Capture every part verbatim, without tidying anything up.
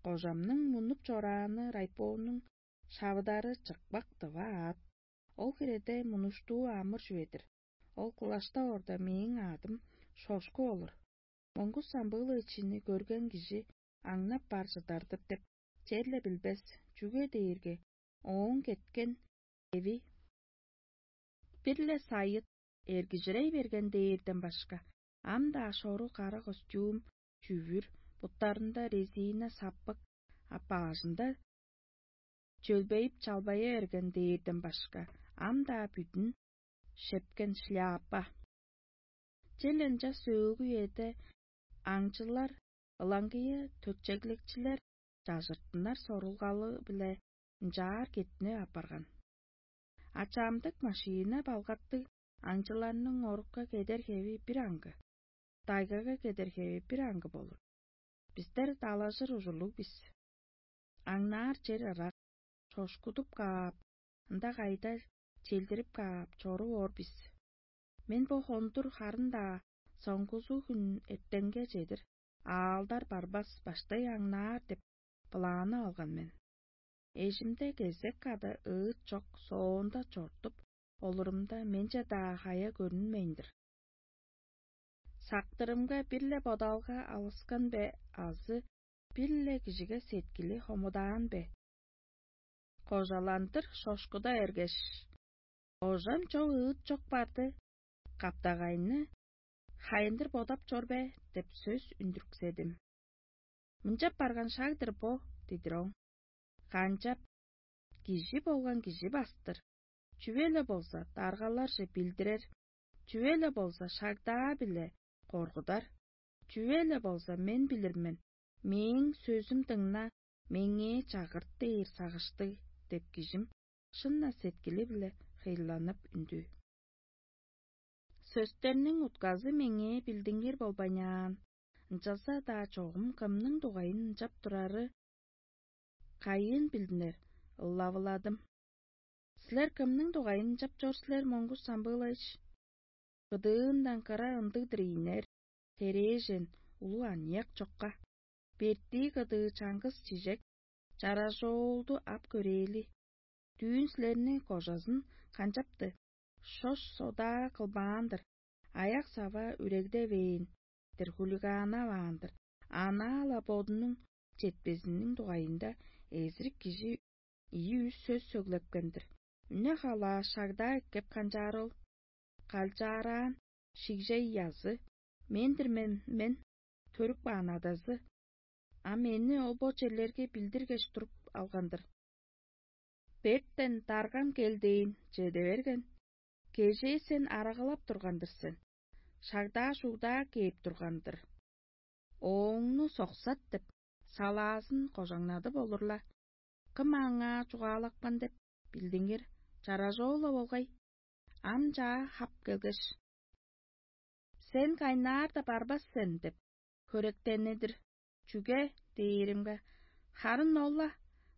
Кожамның мунуп чорааны райпооннуң шавыдары чыкпак дыва аът. Ол хиреде мунуштуу амыр чүве-дир. Ол кылаштап орда мээң аъдым шошку болур. Моңгус самбыылы ичини көрген кижи аңнап бар чыдар-дыр деп, черле билбес, чүге дээрге ооң кеткен эви бир-ле сайыт эргижирей берген дээрден башка, ам-даа шору кара костюм, чүвүр, буттарында резина саппык, а баажында чөлбейип чалбая берген дээрден башка, ам-даа бүдүн шепкен шляпа. Чел ынча сөөлгү үеде аңчылар, ылаңгыя төтчегликчилер чажыртыннар сорулгалы-биле ынчаар кеттинип апарган. А чамдык машина балгаттыг аңчыларның орукка кедер хеви бир аңгы, дайгага кедер хеви бир аңгы болур. Бистер далажыр ужурлуг бис. Аңнаар чер ырак, чошкудуп каап, ында кайда челдирип каап чоруп оор бис. Мен бо хондур харын-даа соңгузу хүн эртенге чедир аалдар барбас баштай аңнаар деп былаанып алган мен. Эжимде кезек када ыыт чок соонда чортуп, олурумда менче-даа хая көрүнмейн-дир. Сактырымга бир-ле бодалга алыскан бе азы бир-ле кижиге сеткили хомудаан бе? Кожаландыр шошкуда эргеш: «Ожам чок ыыт чок барды, каптагайны хайындыр бодап чор бе?» — деп сөс үндүрүкседим. «Мынчап барган шаг-дыр бо», — дидир оң. «Канчап, кижи болган кижи бастыр. Чүве-ле болза, даргаларже билдирер, чүве-ле болза, шагдаа-биле коргудар. Чүве-ле болза, мен билир мен, мээң сөзүм дыңна, меңээ чагырт дээр сагыштыг» — деп кижим шын-на сеткили-биле хыйланып үндү. Сөстерниң утказы меңээ билдингир болбайнаан, ынчалза-даа чогум кымның дугайын ынчап турары кайыын билдинер, ылавыладым. «Силер кымның дугайын ынчап чор силер, Моңгуш Самбыылайыш? Кыдыындан кыра ындыг-дыр ийинер, херээжен, улуг аныяк чокка. Бертии кыдыы чаңгыс чижек, чаражоолду ап көрээли. Дүүн силерни кожазын канчапты? Шош содаа кылбаан-дыр, аяк-сава үрегдевээн-дир, хулиганаваан-дыр, анаа-ла бодунуң четпезиниң дугайында эзирик кижи ийи-үс сөс сөглепкен-дир. Үне-халаа шагдаа эккеп канчаар ол. Калчаараан шигжей язы, мен-дир мен, мен, төрүп каан адазы. А мени ол бо черлерге билдиргеш туруп алган-дыр. Бертен даргам кел дээн чеде берген. Кежээ сен арагалап турган-дыр сен. Шагдаа-шугдаа кээп турган-дыр. Ооңну соксат деп, салаазын кожаңнадып олурла. Кым аңаа чугаалапкан деп билдиңер, чаражоо-ла болгай. Ам чаа хап келгеш: «Сен кайнаар-даа барбас сен» — деп хөректени-дир. «Чүге?» — дээримге: «Харын ол-ла,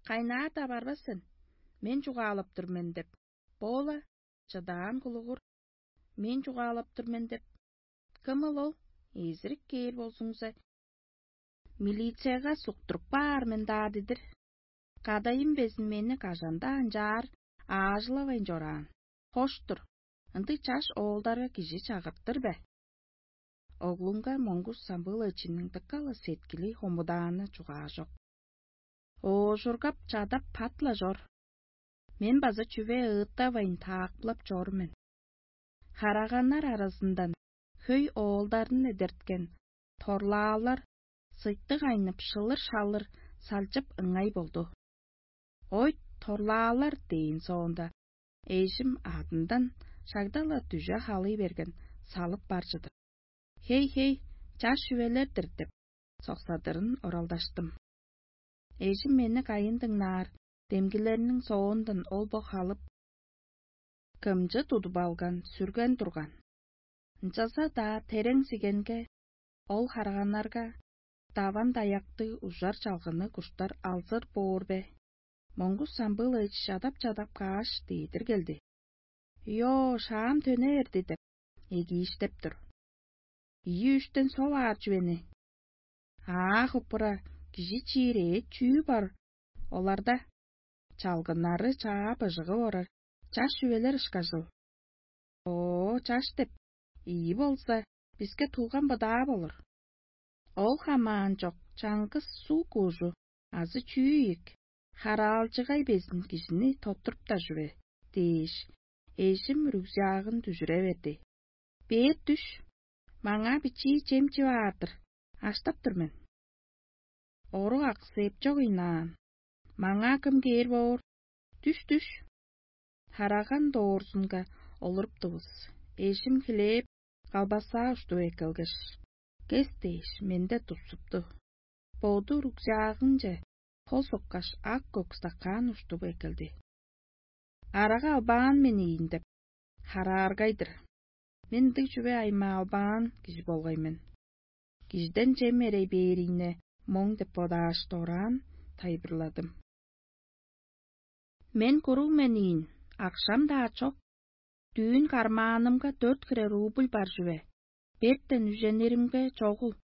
кайнаар-даа барбас сен, мен чугаалап тур мен» — деп. Бо-ла чыдаан кулугур, мен чугаалап тур мен деп. Кымыл ол? Эзирик кээр болзуңза, милицияга суктуруп каар мен-даа дидир. Кадайым безин мени кажан-даа ынчаар аажылавайн чораан. Хош-тур, ындыг чаш оолдарга кижи чагыртыр бе? Оглунга Моңгуш Самбыылайчының дыка-ла сеткили хомудааны чугаажок. Оожургап чадап пат-ла чор. Мен база чүве ыыттавайн таакпылап чор мен. Хараганнар аразындан хөй оолдарын эдерткен торлаалар сыйтык айнып шылыр-шалыр салчып ыңай болду. «Ой, торлаалар» — дээн соонда, эжим адындан шагда-ла дүже халый берген салып бар чыдыр. «Хей-хей, чаш чүвелер-дир» — деп, соксадырын оралдаштым. Эжим мени кайын дыңнаар, демгилерниң соондан ол бо халып, кымчы тудуп алган, сүрген турган. Ынчалза-даа терең сигенге, ол харганнарга даван-даяктыг ужар чалгыны куштар алзыр боор бе? Моңгус Самбыылайчы чадап-чадап кааш, дээдир келди. «Йо, шаам төне берди» — деп, эгииштеп тур. «Ийи-үштен сол аар чүвени?» «Аа, хуппура, Кижи чиир эът чүү бар оларда? Чалгыннары чаа быжыгып орар чаш чүвелер ышкажыл. Оо, чаш деп, ийи болза, биске тулган быдаа болур. Ол хамаан чок чаңгыс суг куужу азы чүү ийик, хараалчыгай безин кижини тоттуруптар чүве дээш, эжим үрүгзаагын дүжүре берди. Бээр дүш, маңаа бичии чем чип аар-дыр, аштап тур мен. Орук аксыып чок ыйнаан. Маңаа кым кээр боор? Дүш-дүш! Хараган доорзунга олуруптувус. Эжим хлеб, калбаса уштуп эккелгеш, кес дээш, менде тупсупту. Боду рюкзагынче хол соккаш, ак-көк стакан уштуп эккелди. Арага албаан мен ийин деп, харааргай-дыр. Мен ындыг чүве аймаа албаан кижи болгай мен. Кижиден чем эрей бээрине моң деп бодааш, дораан тайылбырладым. Мен куруг мен ийин, акшам-даа чок. Дүүн кармаанымга дөрт хире рубль бар чүве. Бертен үжениримге чогул,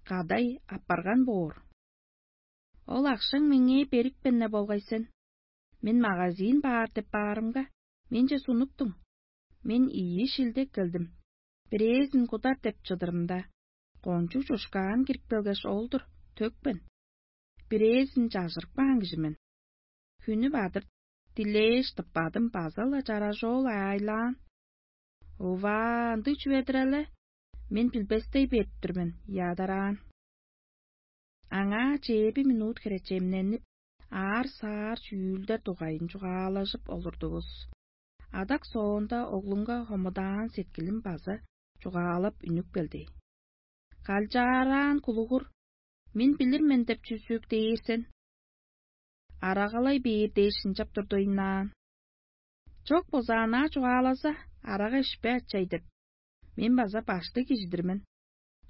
кадай аппарган боор. Ол акшаң меңээ берипкен-не болгай сен. Мен магазин баар деп баарымга, менче сунуптуң. Мен ийи шилдек келдим. Бирээзин кудар деп чыдырымда, кончуг чушкаан кирип келгеш, ол-дур, төкпен. Бирээзин чажырып каан кижи мен. Хүнү бадыр дилээш тыппадым, база-ла чаражоол аайлаан. Ува, ындыг чүве-дир але? Мен билбестей берип тур мен, ядараан. Аңаа чээби минут хире чемненип, аар-саар чүүлдер дугайын чугаалажып олурдувус. Адак соонда оглуңга хомудаан сеткилим база чугаалап үнүп келди. Калчаараан кулугур, мен билир мен деп чүзүг дээр сен. Арагалай бээр дээш ынчап турду ыйнаан. Чок болза, анаа чугаалаза, арага ишпе ачай деп, мен база баштыг кижи-дир мен.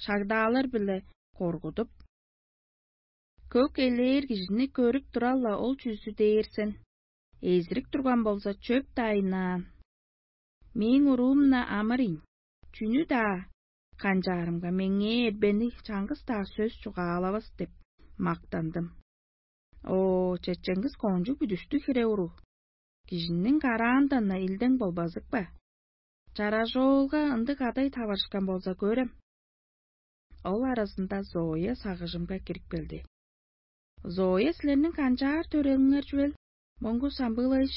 Шагдаалар-биле коргудуп, көк элээр кижини көрүп турал-ла ол чүзү дээр сен. Эзирик турган болза, чөп-даа ыйнаан. Мээң уруум-на амырыйн, чүнү-даа канчаарымга, меңээ эрбени чаңгыс-даа сөс чугаалавас деп мактандым. О, чечеңгис кончуг бүдүштүг хире уруг, кижиниң караандан-на илдең болбазык бе? Чаражоолга ындыг кадай таварышкан болза көрем. Ол аразында Зоя сагыжымга кирип келди. Зоя, силерниң канчаар төрелиңер чүвел, Моңгу Самбылович?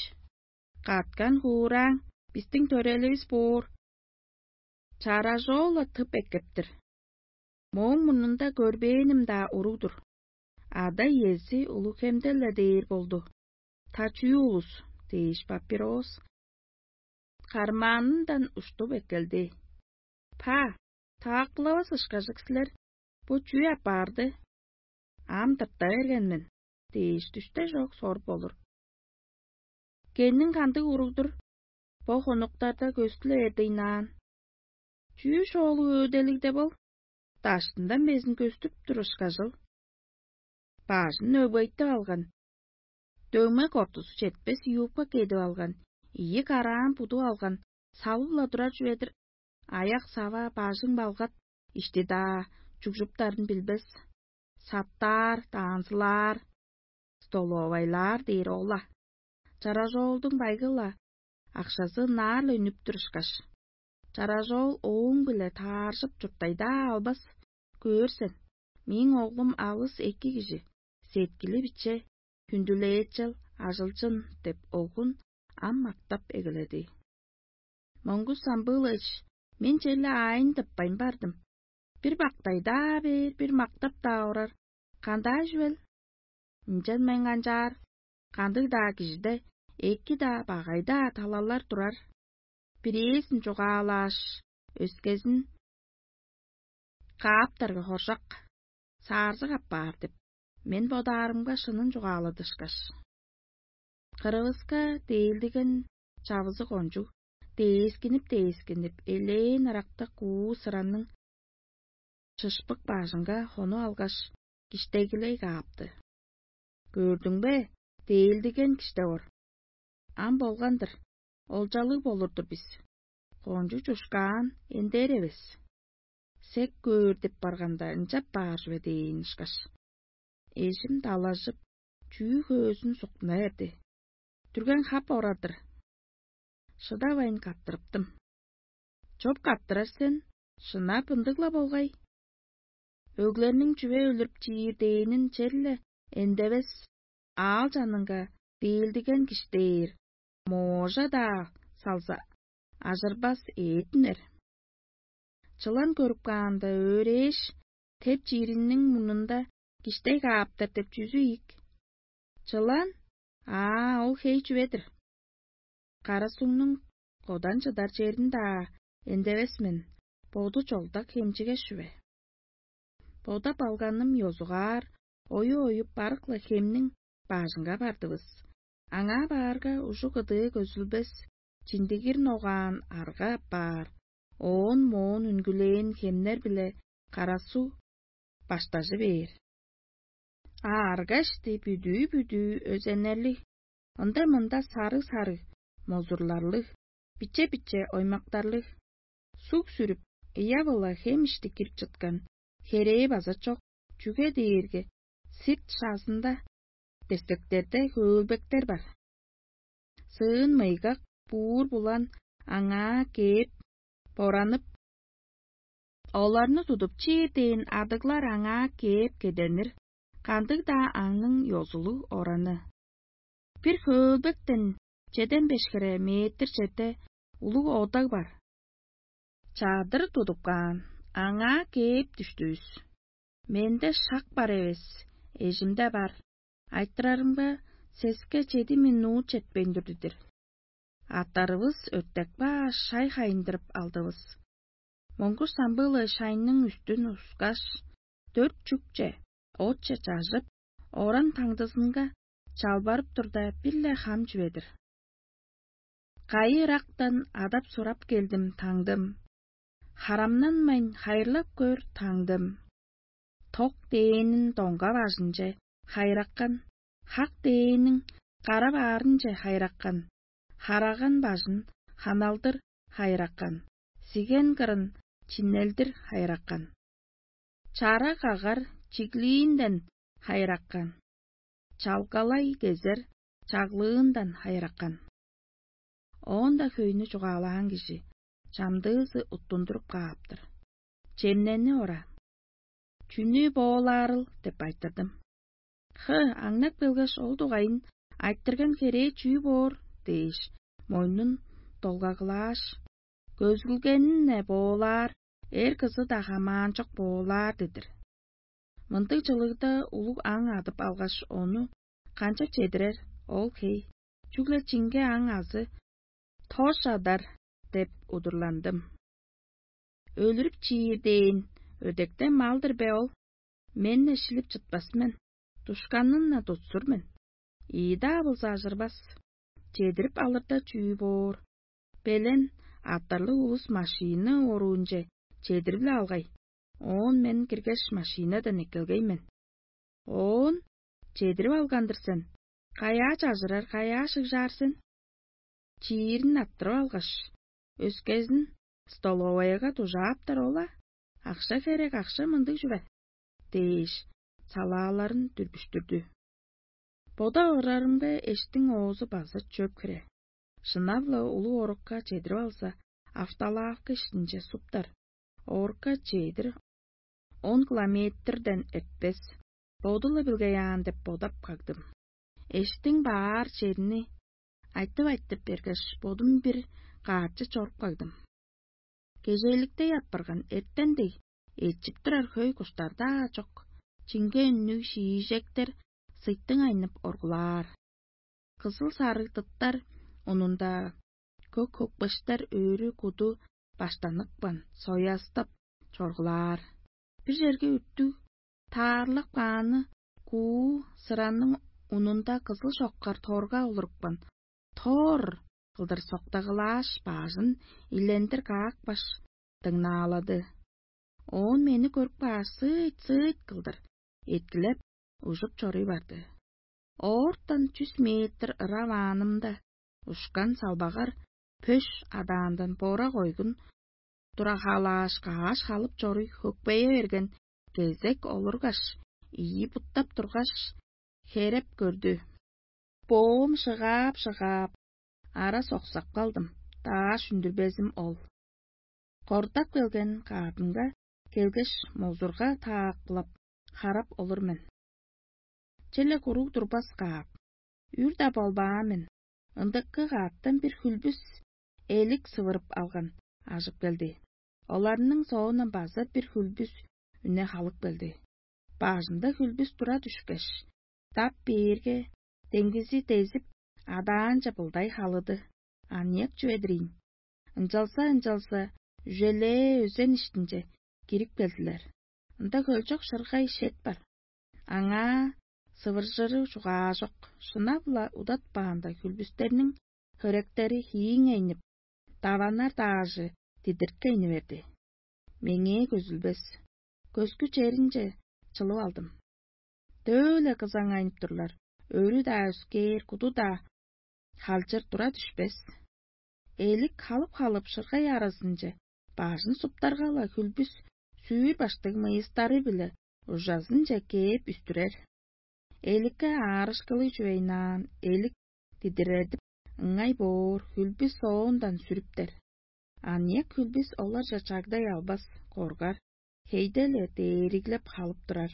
Каткан хуурааң, бистиң төреливис боор. Чаражоол-ла тып эккептир. Мооң мурнунда көрбээним-даа уруг-дур. Ада-иези улуг хемдел-ле дээр болду. Та чүү улус дээш, папирос кармаанындан уштуп эккелди. Па, таакпылавас ышкажык силер, бо чүү апарды? Ам тырта берген мен дээш, дүште чок соруп болур. Кенниң кандыг уруг-дур? Бо хонуктарда көстүле эрдейнаан. Чүү шоолуг өөделигде бол? Даштындан безин көстүп тур ышкажыл. Бажын өгбейтип алган, дөмек ортузу четпес юбка кедип алган, ийи караан будуп алган, салып-ла турар чүве-дир. Аяк-сава, бажың-балгат, ишти-даа чугжуптарын билбес, саттаар, даанзылаар, столовайлаар дээр ол-ла. Чаражоолдуң байгы-ла, акшазы ынаар-ла үнүп турушкаш, чаражоол ооң-биле тааржып чурттайдаа албас. Көөр сен, мээң оглум алыс эки кижи, сеткили биче, хүндүлээчел, ажылчын деп, оглун ам мактап эгеледи. Моңгус Самбыылович, мен черле аайын тыппайн бардым. Бир бактай-даа бээр, бир мактап-даа орар. Кандаа чүвел? Ынчан мен канчаар, кандыг-даа кижиде эки-даа, багай-даа талалар турар. Бирээзин чугаалааш, өскезин кааптарга хоржок, саарзык апаар деп, мен бодаарымга шынын чугааладышкаш. Кырывыска дээлдиген чавызы кончуг, дээскинип-дээскинип, элээн ырактыг куу сыранның чышпык бажынга хонуп алгаш, киштегилей каапты. «Көрдүң бе, дээлдиген киштеп ор. Ам болган-дыр, олчалыг болур-дур бис. Кончуг чушкаан эндээр эвес. Сек көөр деп барганда, ынчап баар чүве» – дээн ышкаш. эжим далажып, чүү хөөзүн суктуна берди. Дүрген хап орадыр. Шыдавайн каттырыптым. Чоп каттырар сен, шынап ындыг-ла болгай. Өглерниң чүве өлүрүп чиир дээнин черле эндевес, аал чанынга дээлдиген киштээр, моожа-даа салза, ажырбас ээтинер. Чылан көрүп каанда, өөрээш, теп чиириниң мурнунда киштей кааптар деп чүзү ийик? Чылан? Аа, ол хей чүве-дир. Кара сугнуң кодан чыдар черин-даа эндевес мен, боду чолдак хемчигеш чүве. Бодап алганым ёзугаар, ою оюп барык-ла хемниң баажынга бардывыс. Аңаа баарга, ужук ыдыы көзүлбес, чиндигир ногаан арга апаар, оон моон үнгүлээн хемнер-биле карасуу баштажы бээр. А аргашты бүдүү-бүдүү өзеннерлиг, ында-мында сарыг-сарыг, мозурларлыг, биче-биче оймактарлыг, суг сүрүп, ыяп-ыла хем ишти кирип чыткан херээ база чок, чүге дээрге сирт шаазында дестектерде хөөлбектер бар. Сыын мыйгак, буур булан аңаа кээп, боранып, оларны тудуп чиир дээн адыглар аңаа кээп кеденир, кандыг-даа аңның ёзулуг ораны. Бир хөөлбектен чеден беш хире метр черде улуг одаг бар. Чадыр тудуп каан, аңаа кээп дүштүвүс. Менде шак бар эвес, эжимде бар. Айтырарымга, сеске чеди минут четпейн турду-дир. Аттарывыс өртек баш шай хайындырып алдывыс. Моңгуш самбыылы шайның үстүн ускаш, дөрт чүкче, отче чажып, оран таңдызынга чалбарып турда, бир-ле хам чүве-дир. Кайы ырактан адап-сурап келдим, таңдым. Харамнанмайн хайырлап көр, таңдым. Ток дээнин доңга бажынче хайраккан, хак дээнниң кара баарынче хайраккан, хараган бажын ханалдыр хайраккан, сиген кырын чиннелдир хайраккан. Чара кагар чиглиинден хайраккан, чалгалай кезер чаглыындан хайраккан. Оон-даа хөйнү чугаалаан кижи чамдыызы уттундуруп кааптыр. Чемнени ора. «Чүнү боолаарыл?» – деп айтырдым. «Хы, аңнап келгеш, ол дугайын айтырган херээ чүү боор?» – дээш, мойнун долгагылааш, «Көзүлгени-не боолаар, эр кызы-даа хамаанчок боолаар» – дедир. Мындыг чылыгда улуг аң адып алгаш, ону канчап чедирер, ол хей, чүгле чиңге аң азы тож адар деп удурландым. Өлүрүп чиир дээн өдекте мал-дыр бе ол? Мен-не шилип чытпас мен, душканын-на тутсур мен. Ийи-даа болза ажырбас. Чедирип алырда чүү боор? Белен, аттарлыг улус машина оруунче чедирип-ле алгай. Оон мен киргеш, машинадан эккелгей мен. Оон: «Чедирип алган-дыр сен. Каяа чажырар, каяа шыгжаар сен?» Чиирин арттырып алгаш, өскезин столоваяга дужааптар ол-а, акша херек, акша мындыг чүве дээш, салааларын дүрбүштүрдү. Бода орарымга эштиң оозу база чөп хире. Шынап-ла улуг орукка чедирип алза, автолавка иштинче суптар. Орукка чедир он километрден эртпес. Боду-ла билгей аан деп бодап кагдым. Эштиң баар черни айтып-айтып бергеш, бодум бир каартчы чоруп кагдым. Кежээликтей апарган эртен дег, эчип турар хөй куштар-даа чок, чиңге үннүг шиижектер сыйтың айнып оргулаар. Кызыл-сарыг тыттар унунда көк-көкпештер өрү куду баштаныкпан, соястап чоргулаар. Бир черге үттүг таарлап кааны куу сыранның унунда кызыл чоккар торга олурупкан, тор кылдыр соктагылааш, баажын илендир каапкаш, дыңнаалады. Оон мени көрүп кааш, сыыт-сыыт кылдыр эткилеп, ужуп чоруй барды. Оортан чүс метр ырап аанымда, ушкан салбагар пөш адаандан бора койгун турахаалааш, кааш халып чоруй хөкпее берген кезек олургаш, ийи буттап тургаш, хереп көрдү. Боом шыгаап-шыгаап, ара соксап калдым, дааш үндүрбезим ол. Кордап келген каадынга келгеш, музурга таакпылап, харап олур мен. Черле куруг турбас каап, үр-даа болбаан мен. Ындыкы кааттан бир хүлбүс элик сывырып алган ажып келди. Оларның соондан база бир хүлбүс үне халып келди. Бажында хүлбүс тура дүшкеш, дап бээрге, деңгизи дезип, адаанче былдай халыды. Аныяк чүве-дир ийин. Ынчалза-ынчалза, үжелээ өзен иштинче кирип келдилер. Ында хөлчок шыргай шет бар. Аңаа сывыржыры чугаажок, шынап-ла удатпаанда хүлбүстерниң хөректери хииңейнип, даванар даажы дидирткейни берди. Меңээ көзүлбес, көскү черинче чылып алдым. Дөө-ле кызаңайнып турлар, өрү-даа өскээр, куду-даа халчыр тура дүшпес. Элик халып-халып шыргай аразынче бажын суптарга-ла хүлбүс сүүр баштыг мыйыстары-биле ужазынче кээп үстүрер. Эликке аарышкылыг чүвейнаан элик дидиредип, ыңай боор хүлбүс соондан сүрүптер. Аныяк хүлбүс оларже чагдай албас, коргар, хейде-ле дээриглеп халып турар.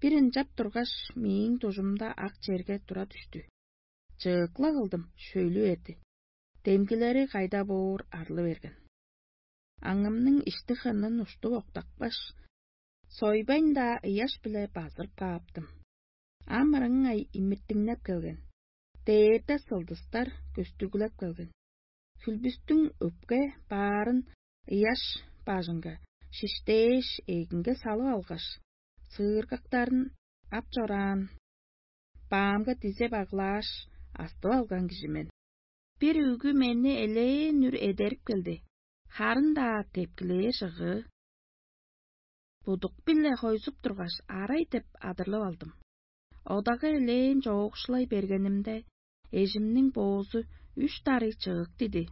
Бир ынчап тургаш, мээң дужумда ак черге тура дүштү. Чыыкла кылдым, шөлү эрди. Демгилери кайда боор арлы берген. Аңымның ишти хынын уштуп октапкаш, сойбайн-даа ыяш-биле базырып кааптым. Ам ырыңай имиртиңнеп келген. Дээрде сылдыстар көстүглеп келген. Хүлбүстүң өпке баарын ыяш бажынга шиштээш, эгинге салып алгаш, сыыргактарын ап чораан, баамга дизе баглааш, астып алган кижи мен. Бир үгү мени элээн үр эдерип келди, харын-даа тепкилээр жыгыы. Будук-биле хойзуп тургаш, арай деп адырлып алдым. Одага элээн чоокшулай бергенимде, эжимниң боозу үш дарый чыык диди.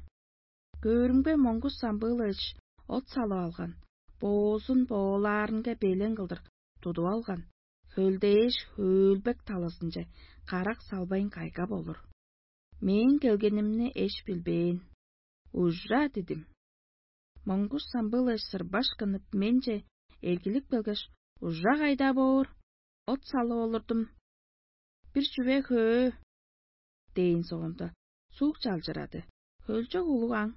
Көөрүмге, Моңгуш Самбыылович от салып алган, боозун боолаарынга белен кылдыр тудуп алган, хөлдээш, хөөлбек талазынче карак салбайн кайгап олур. Мээң келгенимни эш билбээн. «Ужа!» дидим. Моңгуш Самбыылович сырбашкынып менче эргилип келгеш: «Ужа кайда боор? От салып олурдум. Бир чүве хөө» — дээн соонда, суг чалчырады. Хөлчок улуг аң,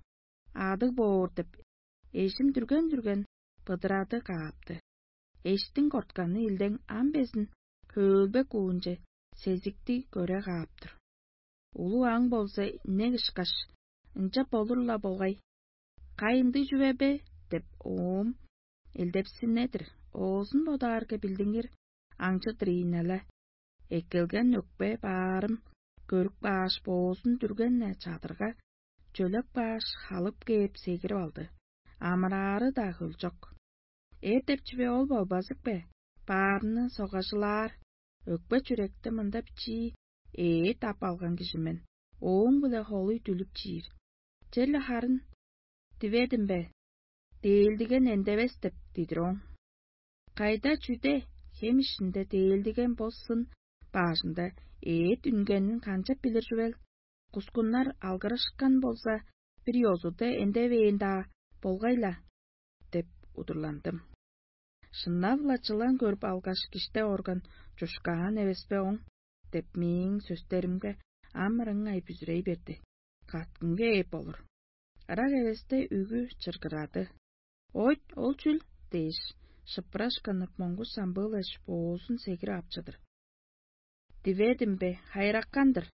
адыг боор деп, эжим дүрген-дүрген быдырады каапты. Эштиң кортканы илдең ам безин хөөлбек уунче сезикти көре каап тур. Улуг аң болза, инек ышкаш, ынча болур-ла болгай. «Кай ындыг чүве бе?» — деп, оом элдепсине-дир, оозун бодаарга, билдингир аңчы-дыр ийин але. Эккелген өкпе баарым көрүп кааш, боозун дүрген-не чадырга, чөлеп кааш, халып кээп сегирип алды. Амыраары-даа хөлчок. Эр деп чүве ол болбазык бе? Баарны согажылаар, өкпе-чүректи мында бичии ээт ап алган кижи мен, ооң-биле холуй дүлүп чиир. Черле харын: «Диведим бе? Дээлдиген эндевес» — деп дидир ооң. Кайда, чүде, хем иштинде дээлдиген бо сын баажында ээт үнгенин канчап билир чүвел? Кускуннар алгырышкан болза, бир ёзуда эндевээн-даа болгай-ла деп удурландым. Шынап-ла, чылан көрүп алгаш, киште орган чушкаан эвес бе оң? — деп, мээң сөстеримге ам ырыңай бүзүрей берди. Каткынга ээп болур. Ырак эвесте үгү чыргырады. «Ойт, ол чүл?» — дээш, шыпырашкынып, Моңгуш Самбыылович боозун сегирип ап чыдыр. «Диведим бе, хайыракан-дыр?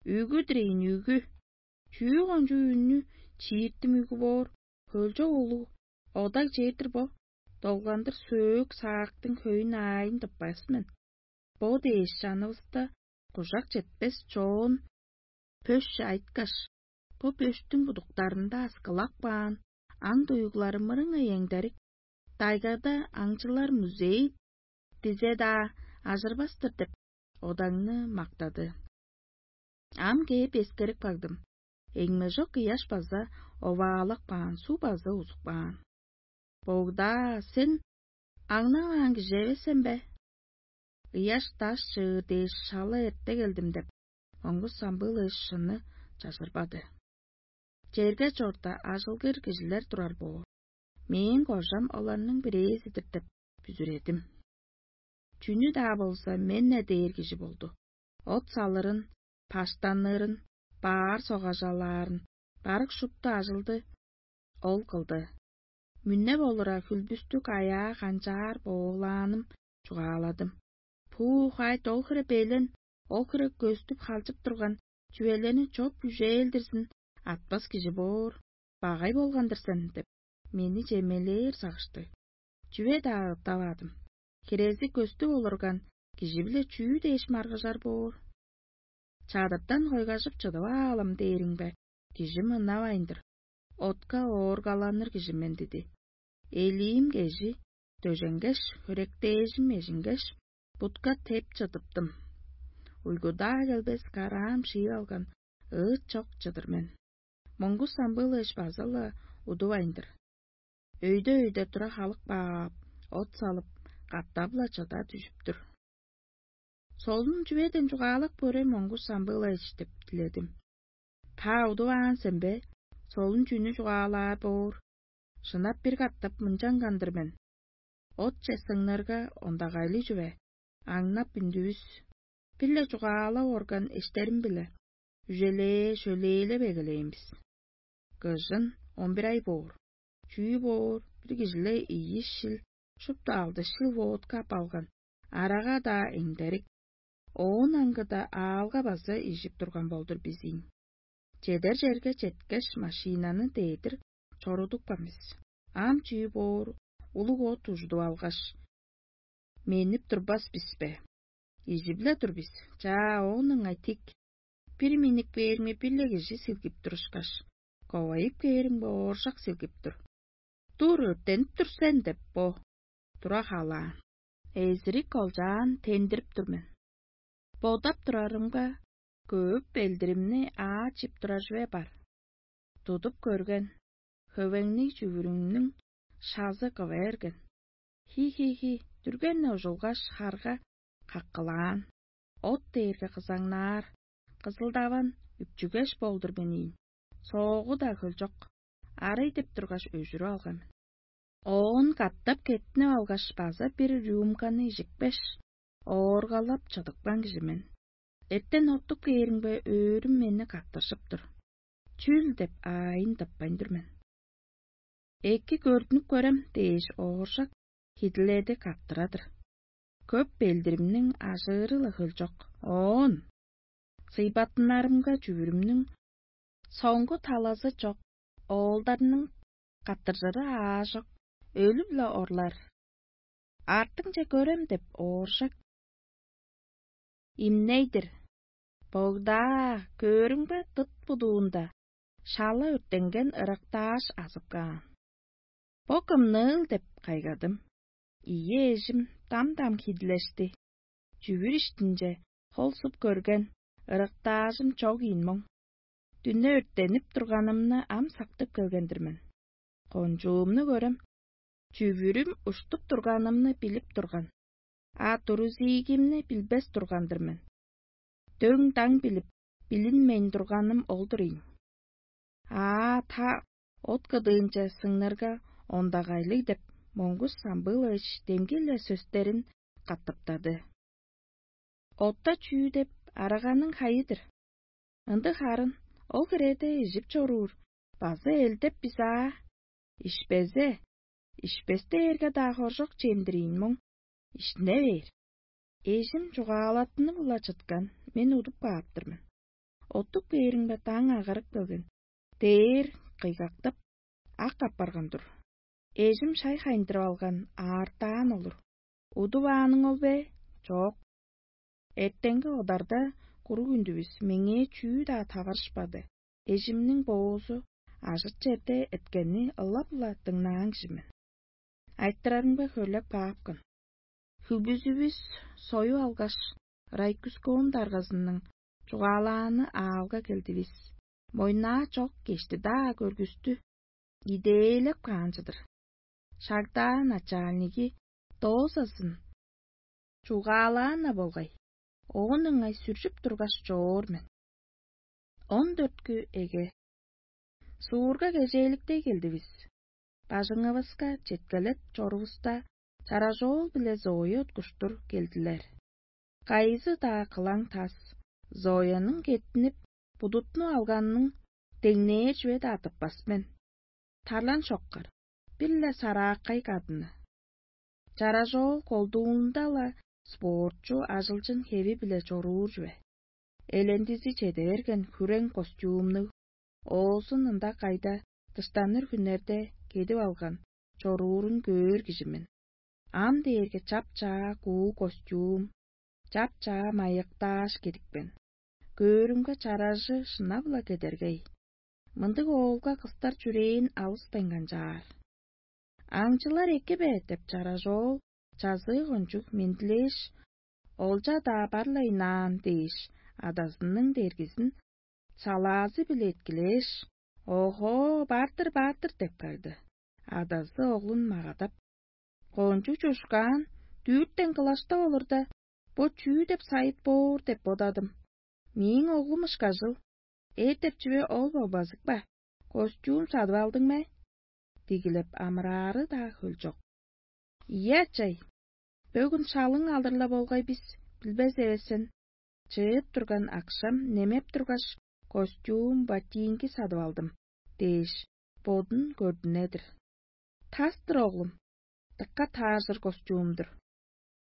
Үгү-дир ийин, үгү. Чүү кончуг үннү чииртим үгү боор, хөлчок улуг одаг чер-дир бо, долгандыр сөөк-саактың хөйүн аайын тыппас мен. Бо дээш чанывыста кужак четпес чоон пөш айыткаш, бо пөштүң будуктарында аскылап каан аң-дуйгулары мырыңай эңдерик, тайгада аңчылар музей дизе-даа ажырбас-тыр» — деп, одаңны мактады. Ам кээп эскерип кагдым. Эңмежок ыяш база оваалап каан, суг база узуп каан. «Богда, сен аңнаваан кижи эвес сен бе?» ыяш-даш чыыр дээш шала эрте келдим» — деп, моңгус самбыылыышчыны чажырбады. Черге чорда ажылгыр кижилер турар боор. Мээң кожам оларның бирээзи-дир деп бүзүредим. Чүнү-даа болза мен-не дээр кижи болду. От салырын, паштанырын, баар согажалаарын, барык шупту ажылды ол кылды. Мүннеп олура хүлбүстүг аяа канчаар боолааным чугааладым. Пуу хайт ол хире белен, ол хире көстүп халчып турган чүвелени чоп үжээлдирзин атпас кижи боор, багай болган-дыр сен деп, мени чемелээр сагышты. Чүве-даа ыттаваадым. Хирези көстүп олурган кижи-биле чүү дээш маргыжар боор? Чадыртан хойгажып чыдып аалым дээриң бе, кижи мынавайн-дыр. Отка ооргаланыр кижи мен диди. Элиим кежи дөженгеш, хөректээжим эжингеш, бутка теп чыдыптым. Уйгудаа келбес караам шыып алган ыыт чок чыдыр мен. Моңгус самбыылыыш база-ла удувайн-дыр. Өйде-өйде тура халык баап, от салып, катап-ла чыда дүжүп тур. Солун чүведен чугаалап көрем, моңгус самбыылайыш деп диледим. Та удуваан сен бе? Солун чүнү чугаалаар боор? Шынап бир катап мынчанган-дыр мен. Отче сыңнырга ондагайлыг чүве, аңнап үндүвүс, бир-ле чугаалап орган эштерим-биле, үжелээ-шөлээлеп эгелээн бис. Кыжын он бир ай боор. Чүү боор, бир кижиле ийи шил, шупту алды шил водка ап алган, арага-даа эңдерик. Оон аңгыда аалга база ижип турган болдур бис ийин. Чедер черге четкеш, машинаны дедир чорудупкан бис. Ам чүү боор, улуг от ужудуп алгаш, менип турбас бис бе? Ижип-ле тур бис. Чаа, оон ыңай тик. Бир миннип кээрими бир-ле кижи силгип турушкаш, ковайып кээримге ооржак силгип тур. «Тур, өрттенип тур сен» — деп бо тура халаан. Эзирик олчаан тендирип тур мен. Бодап турарымга, көөп белдиримни аа чип турар чүве бар. Тудуп көрген, хөвеңниг чүвүрүмнүң шазы кыва берген. Хи-хи-хи, дүрген-не ужулгаш, харга каккылаан. От дээрге кызаңнаар, кызылдаван, үпчүгеш болдур мен ийин. Соогу-даа хөлчок, арый деп тургаш, өжүрүп алган мен. Оон катап кеттинип алгаш, база бир рюмканы ижикпеш, ооргалап чыдыпкан кижи мен. Эртен оттуп кээримге, өөрүм мени каттыржып тур. Чүл деп аайын тыппайн тур мен. «Эки көрдүнүп көрем» дээш, ооржак хидиледи каттырадыр. Көп белдиримниң ажыыры-ла хөлчок. Оон сыйбаттынарымга, чүвүрүмнүң соңгу талазы чок, оолдарның каттыржыры аажок, өлүп-ла орлар. «Артыңче көрем» деп ооржак имней-дир. Богдаа, көөрүмге, дыт будуунда шала өрттенген ырактааш азып каан. «Бо кымныыл?» — деп кайгадым. Ийи эжим дам-дам хидилешти. Чүвүр иштинче хол суп көрген, ырактаажым чок ийин моң. Дүне өрттенип турганымны ам сактып келген-дир мен. Кончуумну көрем, чүвүрүм уштуп турганымны билип турган, а турузиигимни билбес турган-дыр мен. Дөң-даң билип, билинмейн турганым ол-дур ийин. «Аа, та, от кыдыынче сыңнырга ондагайлыг» — деп, моңгус самбыылыыш демги-ле сөстерин катаптады. «Отта чүү деп, араганың хайы-дыр. Ындыг харын, ол хиреде ижип чоруур, база элдеп бис аа. Ишпезе, ишпес дээрге-даа хоржок чем-дир ийин моң, иштине бээр. Эжим чугаалаттынып-ла чыткан, мен удуп каап-тыр мен. Оттуп кээримге, даң агарып келген» — дээр кыйгактап, ак апарган-дыр. Эжим шай хайындырып алган, аартаан олур. Удувааның ол бе? Чок. Эртенги одарда куруг үндүвүс меңээ чүү-даа таварышпады. Эжимниң боозу ажыт черде эрткенни ылап-ла дыңнаан кижи мен. Айтырарымга хөрлеп каапкын. Хүлбүзүвүс союп алгаш, Райкускон даргазының чугаалааны аалга келдивис. Мойнаа чок кешти-даа көргүстү идээлеп каан чыдыр. Шагдаан начальниги доозазын чугаалаан-на болгай, оон ыңай сүржүп тургаш чоор мен. Он дөрткү эге. Суурга кежээликтей келдивис. Бажыңывыска четкелеп чорувуста, чаражоол биле Зоя уткуштур келдилер. Кайызы-даа кылаң тас, Зояның кеттинип, будутну алганының деңнээр чүве-даа тыппас мен. Тарлан шоккар, бир-ле сарааккай кадыны. Чаражоол колдуунда-ла спортчу ажылчын хеви-биле чоруур чүве. Элендизи чеде берген хүрең костюмнуг, оозун ында кайда дыштаныр хүннерде кедип алган чоруурун көөр кижи мен. Ам дээрге чап-чаа куу костюм, чап-чаа майыктааш кедипкен. Көөрүмге чаражы шынап-ла кедергей. Мындыг оолга кыстар чүрээн алыспайн канчаар. «Аңчылар эки бе?» — деп чаражоол чазыы кончуг мендилээш, олча-даа бар-ла ыйнаан дээш, адазының дергизин салаазы-биле эткилээш: «Охоо, бар-дыр, бар-дыр» — деп кагды. Адазы оглун магадап: «Кончуг чушкаан, дүүртен кылаштап олурда, бо чүү деп сайыт боор деп бодадым. Мээң оглум ышкажыл, эр деп чүве ол болбазык ба? Костюм садып алдың бе?» — дигилеп амыраары-даа хөлчок. «Ийе, ачай, бөгүн шалың алыр-ла болгай бис, билбес эвес сен. Чыып турган акшам немеп тургаш, костюм, ботинки садып алдым» — дээш, бодун көрдүнедир. «Тас-тыр, оглум, дыка тааржыр костюм-дур.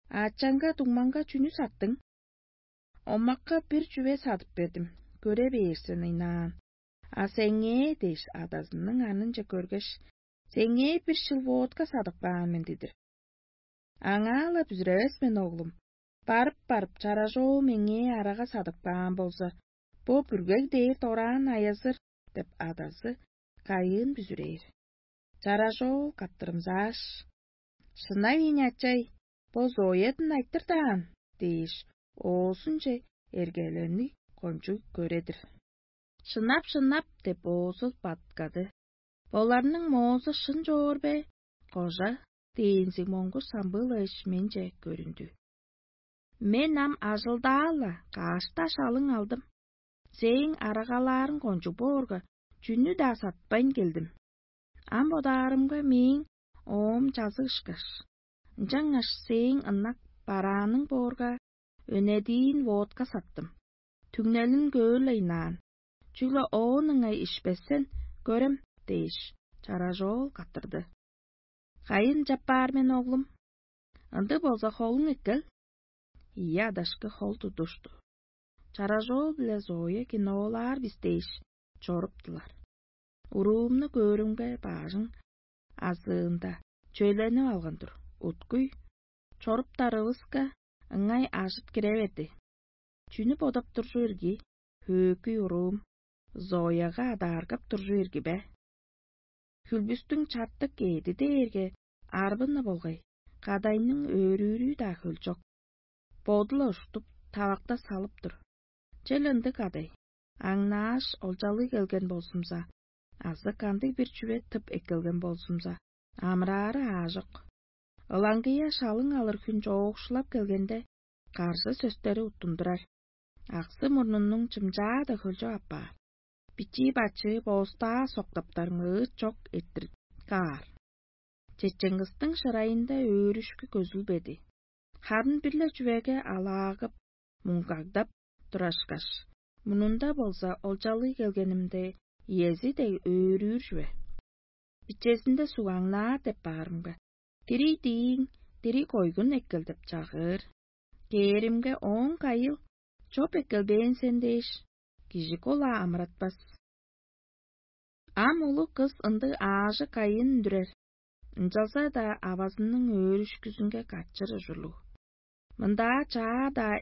Ачаңга, дуңмаңга чүнү саттың?» «Омакка бир чүве садып бердим, көре бээр сен ыйнаан. А сеңээ» — дээш, адазының анынче көргеш: «Сеңээ бир шыл водка садып каан мен» — дидир. «Аңаа-ла бүзүревес мен, оглум. Барып-барып, чаражоол меңээ арага садып каан болза, бо бүргег дээр дораан айазыр» — деп адазы кайыын бүзүрээр. Чаражоол каптырымзааш: «Шынап ийин, ачай, бо Зоядын айтыр даан» — дээш, оозунче эргелени кончуг көредир. «Шынап, шынап» — деп оозу баткады. «Боларның моозу шын чоор бе, кожа?» — дээнзиг моңгуш самбыылааш менче көрүндү. «Мен ам ажылдаа-ла, каш-даа шалың алдым. Сээң арагалаарың кончуг боорга, чүнү-даа сатпайн келдим. Ам бодаарымга, мээң оом чазыг ышкаш. Ынчангаш сээң ынак барааның боорга, өнедиин водка саттым. Түңнелин көөр-ле ыйнаан, чүгле оон ыңай ишпесен көрем» — дээш, чаражоол каттырды. «Кайын чаппаар мен, оглум? Ындыг болза, холуң эккел». Ийи адашкы хол тудушту. Чаражоол биле Зоя киноолаар бис дээш чоруптулар. Уруумну көөрүмге, баажың азыында чөйленип алган-дыр. Уткуй чоруптарывыска, ыңай ажыт кире берди. Чүнү бодап туржу ирги, хөөкүй уруум, Зояга адааргап туржу ирги бе? Хүлбүстүң чартык кээди дээрге арбыны болгай, кадайның өөрүүрү-даа хөлчок. Боду-ла уштуп, тавакта салып тур. Чел ындыг кадай, аңнааш, олчалыг келген болзумза, азы кандыг-бир чүве тып эккелген болзумза, амыраары аажок. Ылаңгыя шалың алыр хүн чоокшулап келгенде, каржы сөстери уттундурар. Аксы мурнунуң чымчаа-даа хөлчок апаар. Бичии-бачыы боостаа соктаптарың ыыт чок эрттир каар. Чечең кыстың шырайында өөрүшкү көзүлбеди. Харын бир-ле чүвеге алаагып, муңгагдап турашкаш, мурнунда болза олчалыг келгенимде, иези дег өөрүүр чүве. Бичезинде сугаңнаар деп баарымга: «Дирий дииң, дирий койгун эккел» — деп чагыыр. Кээримге, ооң кайыл: «Чоп эккелбээн сен» — дээш, кижи кол-ла амыратпас. Ам улуг кыс ындыг аажы кайын үндүрер, ынчалза-даа авазының өөрүшкүзүнге катчыр ужурлуг. Мындаа чаа-даа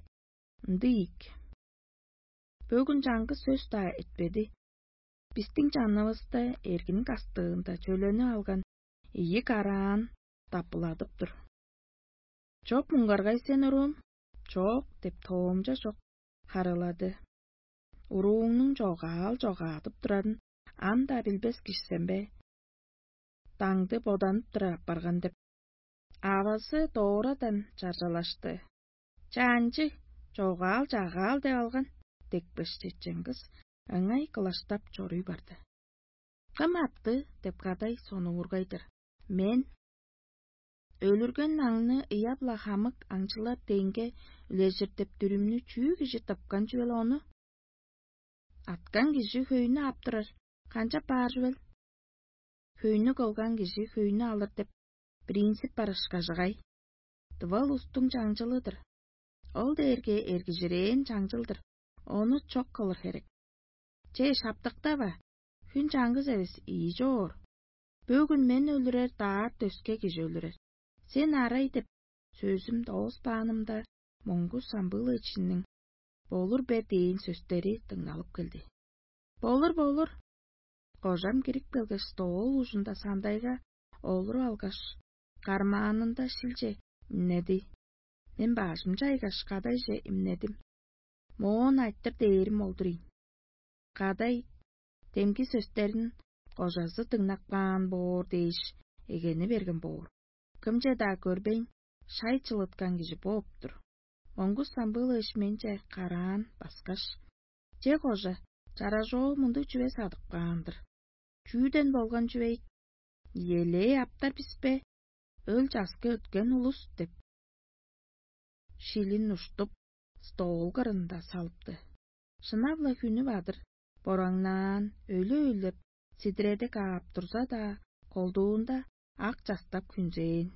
ындыг ийик. Бөгүн чаңгыс сөс-даа этпеди. Бистиң чанывыста эргин кастыында чөлени алган ийи караан даппыладып тур. «Чоп муңгаргай сен, уруум?» «Чок» — деп тоомча чок харылады. Урууңнуң чогаал чогаадып турарын ам-даа билбес кижи сен бе? Даңды боданып турар апарган деп. Авазы доорадан чаржалашты. «Чаанчы, чогаал-чагаал деп алган» – декпеш, чечен кыс ыңай кылаштап чоруй барды. «Кым апты?» – деп кадай сонуургай-дыр. «Мен». «Өлүрген аңны ыяп-ла хамык аңчылар деңге үлежир деп дүрүмнү чүү кижи тыпкан чүвел ону? Аткан кижи хөйнү аптырар, канчап баар чүвел? Хөйнү кылган кижи хөйнү алыр деп принцип бар ышкажыгай. Дывал устуң чаңчылы-дыр. Ол дээрге эргижирээн чаңчыл-дыр, ону чок кылыр херек. Че, шаптыктава, хүн чаңгыс эвес ийи чоор. Бөгүн мен өлүрер, даарт өске кижи өлүрер. Сен арай деп сөзүм дооспаанымда, Моңгу Самбыылычының «Болур бе?» дээн сөстери дыңналып келди. «Болур, болур». Кожам кирип келгеш, стол ужунда сандайга олуруп алгаш, кармаанында шилче имнеди. Мен бажым чайгаш, кадайже имнедим. Моон айтыр дээрим олдур ийин. Кадай демги сөстерин кожазы дыңнап каан боор дээш, эгени берген боор. Кымче-даа көрбейн, шай чылыткан кижи бооп-тур. Моңгус Самбыылович менче караан баскаш: «Че, кожа, чаражоол мындыг чүве садып каан-дыр. Чүүден болган чүве ийик? Иелээ аптар бис бе? Өл часкы өткен улус» – деп, шилин уштуп, стол кырында салыпты. Шынап-ла хүнү бадыр, бораңнаан, өлү-өлеп, сидиреде каап турза-даа, колдуунда ак частап хүнзээн.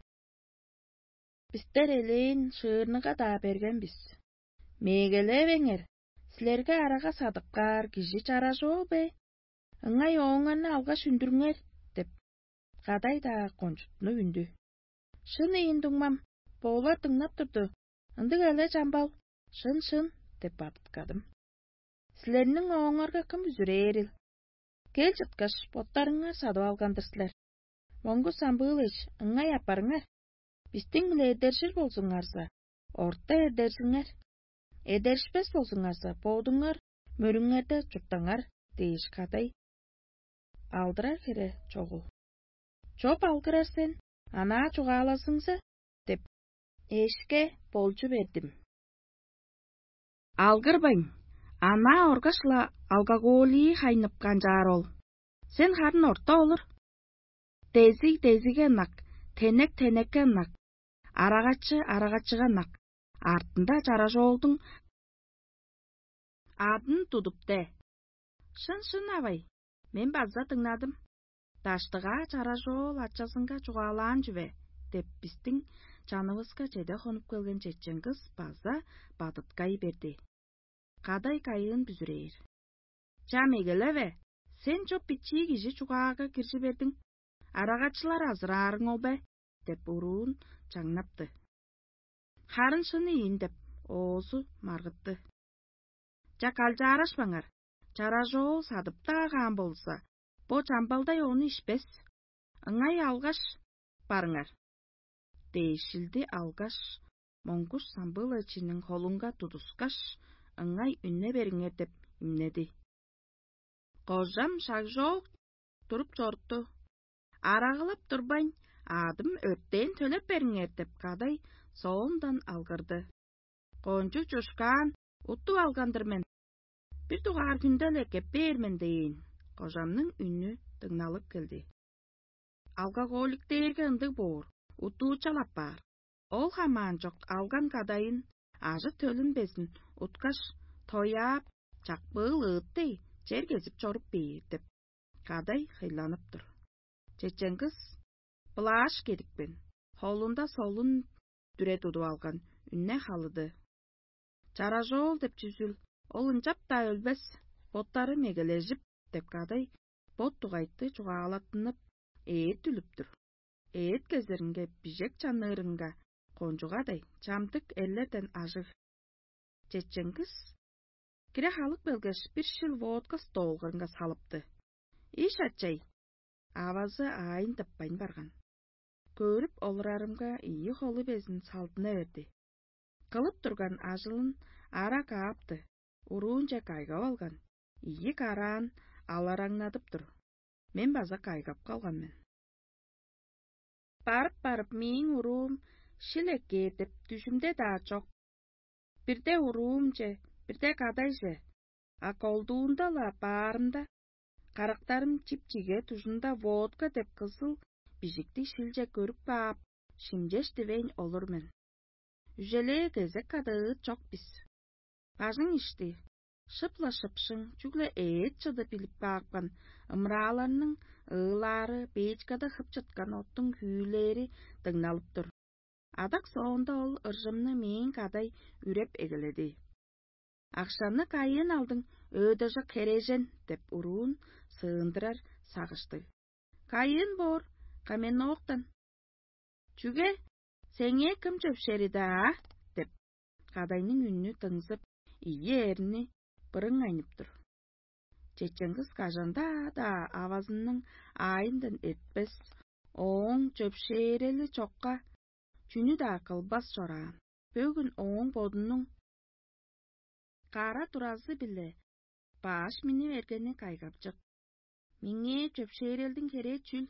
«Бистер элээн шыырныга-даа берген бис. Мегелевеңер, силерге арага садып каар кижи чаражоол бе? Ыңай ооңарны алгаш үндүрүңер» – деп, кадай-даа кончуттунуп үндү. «Шын ийин, дуңмам, боолар дыңнап турду. Ындыг але, чамбал, шын-шын» – деп бадыткадым. «Силерниң ооңарга кым бүзүрээрил? Кел чыткаш, боттарыңар садып алган-дыр силер. Моңгус Самбыылович, ыңай апарыңар. Бистиң-биле эдержир болзуңарза, орта эдержиңер. Эдеришпес болзуңарза, бодуңар мөрүңерде чурттаңар» – дээш, кадай алдырар хере чогул. «Чоп алгырар сен, анаа чугаалазыңза» – деп, эшке болчу бердим. «Алгырбайн, анаа оргаш-ла алкоголии хайнып канчаар ол. Сен харын орта олур. Дезиг дезигге ынак, тенек тенекке ынак, арагачы арагачыга ынак, артында чаражоолдуң адын тудуп де». «Шын-шын, авай, мен база дыңнадым. Даштыгаа чаражоол ачазынга чугаалаан чүве» – деп, бистиң чанывыска чеде хонуп келген чечен кыс база бадыткай берди. Кадай кайыын бүзүрээр: «Чам эгелеве, сен чоп бичии кижи чугаага киржи бердиң. Арагачылар азыраарың ол бе?» – деп уруун чаңнапты. «Харын шын ийин» – деп, оозу маргытты. «Чак алчаарашпаңар, чаражоол садып-даа каан болза, бо чамбалдай ону ишпес. Ыңай алгаш барыңар» – дээш, шилди алгаш, Моңгуш Самбылычының холунга тудускаш: «Ыңай үнне бериңер» – деп имнеди. Кожам шагжоок туруп чорутту. «Арагылап турбайн, адым өртээн төлеп бериңер» – деп, кадай соондан алгырды. «Кончуг чушкаан, уттуп алган-дыр мен. Бир дугаар хүнде-ле кеп бээр мен» – дээн. Кожамның үнү дыңналып келди. Алкоголик дээрге ындыг боор, уттуучал апаар. Ол хамаан чок алган кадайын, ажы-төлүн безин уткаш, тояап, чакпыыл ыыт дег, чер кезип чоруп бээр деп, кадай хыйланып тур. Чечен кыс былааш кедипкен, холунда солун дүре тудуп алган, үнне халыды. «Чаражоол деп чүзүл, ол ынчап-даа өлбес, боттары мегележип» – деп, кадай бот дугайты чугаалаттынып, ээт үлүп тур. Ээт кезеринге бижек чаннырынга кончугадай чамдык эрлерден ажыг. Чечен кыс кире халып келгеш, бир шил водка столгарынга салыпты. «Иш, ачай!» Авазы аайын тыппайн барган. Көрүп олурарымга, ийи холу безин салдына берди. Кылып турган ажылын ара каапты, уруунче кайгап алган, ийи караан алараңнадып тур. Мен база кайгап калган мен. Барып-барып, мээң уруум шил эккээр деп дүжүмде-даа чок. бирде уруумче, бирде кадайже, а колдуунда-ла баарымда, карактарым чип-чиге дужунда водка деп кызыл бижиктиг шилче көрүп каап, шимчеш дивейн олур мен. Үжелээ кезек кадыыт чок бис. Бажың ишти, шып-ла шыпшың, чүгле эът чыды билип каапкан, ымырааларның ыылаары, бээчкада хып чыткан оттуң хүүүлээри дыңналып тур. Адак соонда ол ыржымны мээң кадай үреп эгеледи. «Акшаны кайыын алдың, өөдежок херээжен?» — деп уруун сыындырар сагыштыг. «Кайыын боор, каменноктан». «Чүге, сеңээ кым чөпшери-даа?» — деп, кадайның үнү дыңзып, ийи эрни бырың айнып тур. Чечен кыс кажан-даа-даа авазының аайындан эртпес, ооң чөпшээрели чокка чүнү-даа кылбас чораан. Бөгүн ооң бодунуң кара туразы-биле баш миннип эргени кайгапчык. «Меңээ чөпшээрелдиң херээ чүл?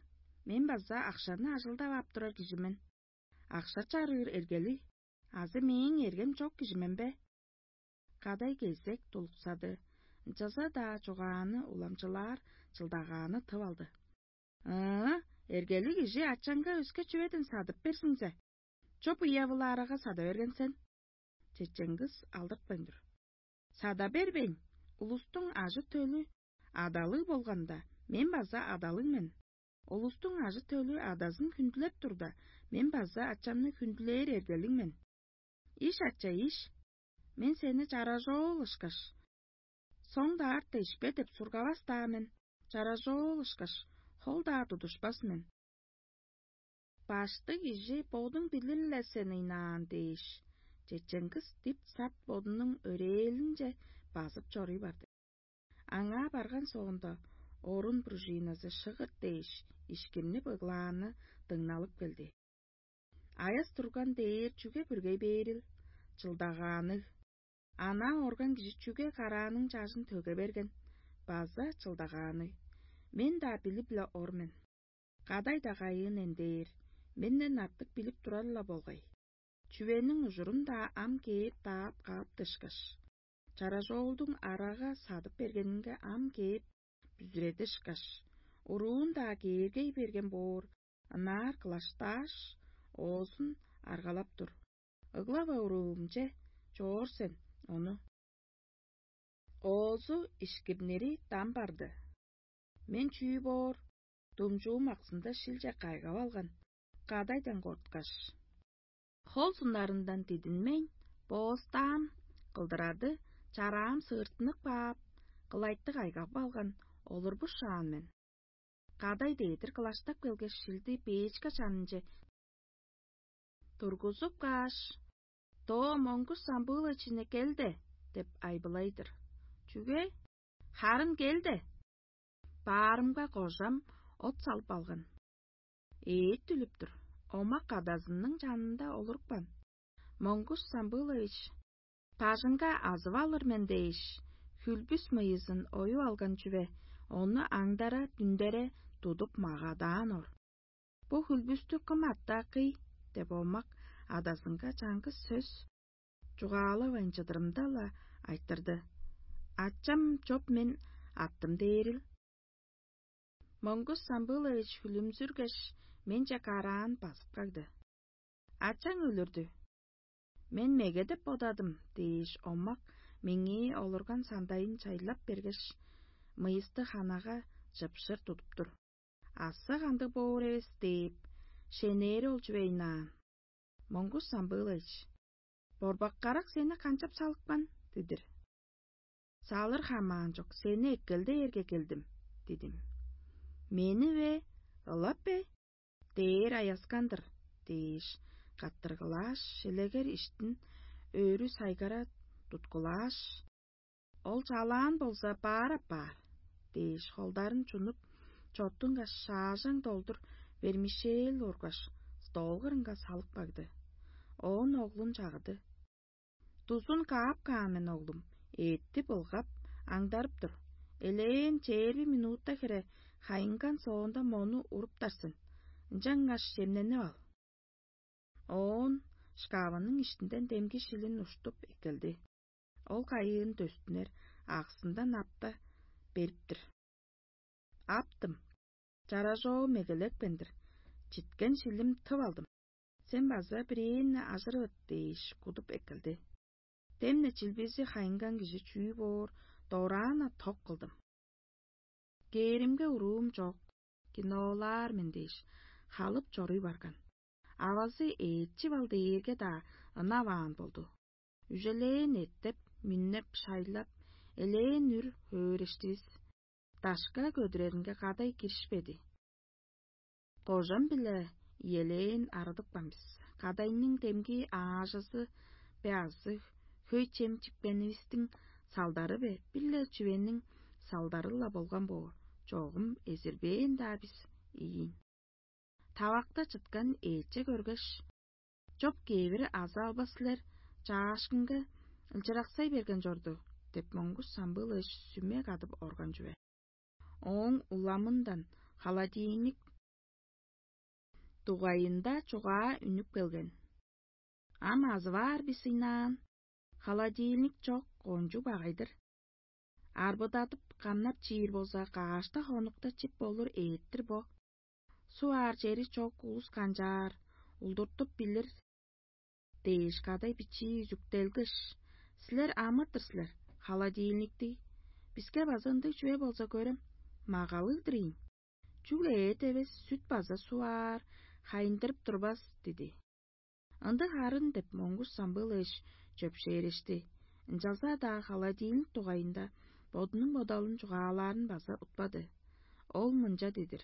Мен база акшаны ажылдап ап турар кижи мен. Акша чарыыр эргели азы мээң эргем чок кижи мен бе?» Кадай кезек тулуксады, ынчалза-даа чугааны уламчылаар чылдагааны тып алды. «Ыы, эргели кижи ачаңга өске чүведен садып берзиңзе, чоп уявылаарага сада берген сен». Чечен кыс алдыртпайн тур. «Сада бербейн, улустуң ажы-төлү адалыг болганда, мен база адалыг мен. Улустуң ажы-төлү адазын хүндүлеп турда, мен база ачамны хүндүлээр эргелиг мен. Иш, ача, иш, мен сени чаражоол ышкаш, соң-даа артта ишпе деп сургавас-даа мен, чаражоол ышкаш, хол-даа тудушпас мен». «Баштыг кижи бодуң билир-ле сен ыйнаан» — дээш, чечен кыс дип-сат бодунуң өрээлинче базып чоруй барды. Аңаа барган соонда, орун пружиназы шыгыт дээш, ишкирнип ыглааны дыңналып келди. Аяс турган дээр чүге бүргей бээрил? Чылдагаанныг. Анаа орган кижи чүге карааның чажын төге берген? База чылдагаанныг. Мен-даа билип-ле ор мен. Кадай-даа кайыын эндээр, менден артык билип турар-ла болгай. Чүвениң ужурун-даа ам кээп даап каап дышкаш, чаражоолдуң арага садып бергенинге ам кээп бүзүредишкаш, уруун-даа кээргей берген боор, ынаар кылаштааш, оозун аргалап тур. Ыглава уруумче чоор сен ону. Оозу ишкирнири дам барды. Мен чүү боор, думчуум аксында шилче кайгап алган, кадайдан корткаш. Хол суннарындан дидинмейн, боостаам, кылдырады, чараам сыыртынып каап, кылайтты кайгап алган, олурбушаан мен. Кадай дээдир кылаштап келгеш, шилди бээчке чанынче тургузуп кааш: «Доо моңгуш самбыылайчыны кел де» — деп айбылай-дыр. «Чүге? Харын кел де». Баарымга кожам от салып алган. Ээт дүлүп тур, омак кадазының чанында олурупкан. Моңгуш самбыылайыш: «Бажыңга азып алыр мен» — дээш, хүлбүс мыйызын оюп алган чүве, ону аңдара-дүндере тудуп магадаан ор. «Бо хүлбүстү кым аттааккый?» — деп омак адазынга чаңгыс сөс чугаалавайн чыдырымда-ла айтырды: «Ачам чоп мен аттым» — дээрил. Монгуш Самбылович хүлүмзүргеш, менче караан базып кагды. «Ачаң өлүрдү. Мен меге деп бодадым» — дээш, омак меңээ олурган сандайын чайлап бергеш, мыйысты ханага чыпшыр тудуп тур. «Аса кандыг боор эвес» — дээп, шенээри ол чүвейн аан. «Монгуш Самбылович, борбак карак сени канчап салыпкан?» — дидир. «Салыр хамаан чок, сени эккелдээрге келдим» — дидим. «Мени бе, ылап бе? Дээр аяскан-дыр» — дээш, каттыргылааш, шелегер иштин өрү сайгара туткулааш: «Ол чалаан болза, баар апаар» — дээш, холдарын чунуп, чоттунгаш, шаажаң долдур вермишел ургаш, стол кырынга салып кагды. Оон оглун чагыды. «Дузун каап каан мен, оглум, эътти былгап, аңдарып тур. Элээн чээрби минутта хире хайынган соонда мону уруптар сен. Ынчангаш чемненип ал». Оон шкавының иштинден демги шилин уштуп эккелди. Ол кайыын дөстүнер аксындан апта берип-тир. «Аптым, чаражоо мегелепкен-дир, читкен шилим тып алдым. Сен база бирээни ажырывыт» дээш, кудуп эккелди. Демне чилбизи хайынган кижи чүү боор, дораан-на ток кылдым. Кээримге уруум чок, киноолаар мен дээш, халып чоруй барган. Авазы ээчип ал дээрге-даа ынаваан болду. Үжелээн эттеп, мүннеп, шайлап, элээн үр хөөрештивис. Дашка көдүреринге кадай киришпеди. Кожам-биле иелээн арыдыпкан бис. Кадайның демги аажызы бе азы хөй чем чипкенивистиң салдары бе, бир-ле чүвениң салдары-ла болган боор, чогум эзирбээн-даа бис ийин. Тавакта чыткан ээче көргеш: «Чоп кээвир азы албас силер, чаашкынга ылчыраксай берген чорду» — деп, Монгуш Самбыылович сүме кадып орган чүве. Ооң уламындан холодильник дугайында чугаа үнүп келген. Ам азываар бис ыйнаан, холодильник чок, кончуг багай-дыр. Арбыдадып, камнап чиир болза, каашта хонукта чип болур эът-тир бо. Суп аар чери чок улус канчаар, улдуртуп билир дээш, кадай бичии үзүктелгеш: «Силер амыр-дыр силер, холодильниктиг. Биске база ындыг чүве болза көрем, магалыг-дыр ийин. Чүгле эът эвес, сүт база суп аар, хайындырып турбас» — диди. «Ындыг харын» — деп, Монгуш Самбыылович чөпшээрешти. Ынчалза-даа холодильник дугайында бодунуң бодалын чугаалаарын база утпады. Ол мынча дидир: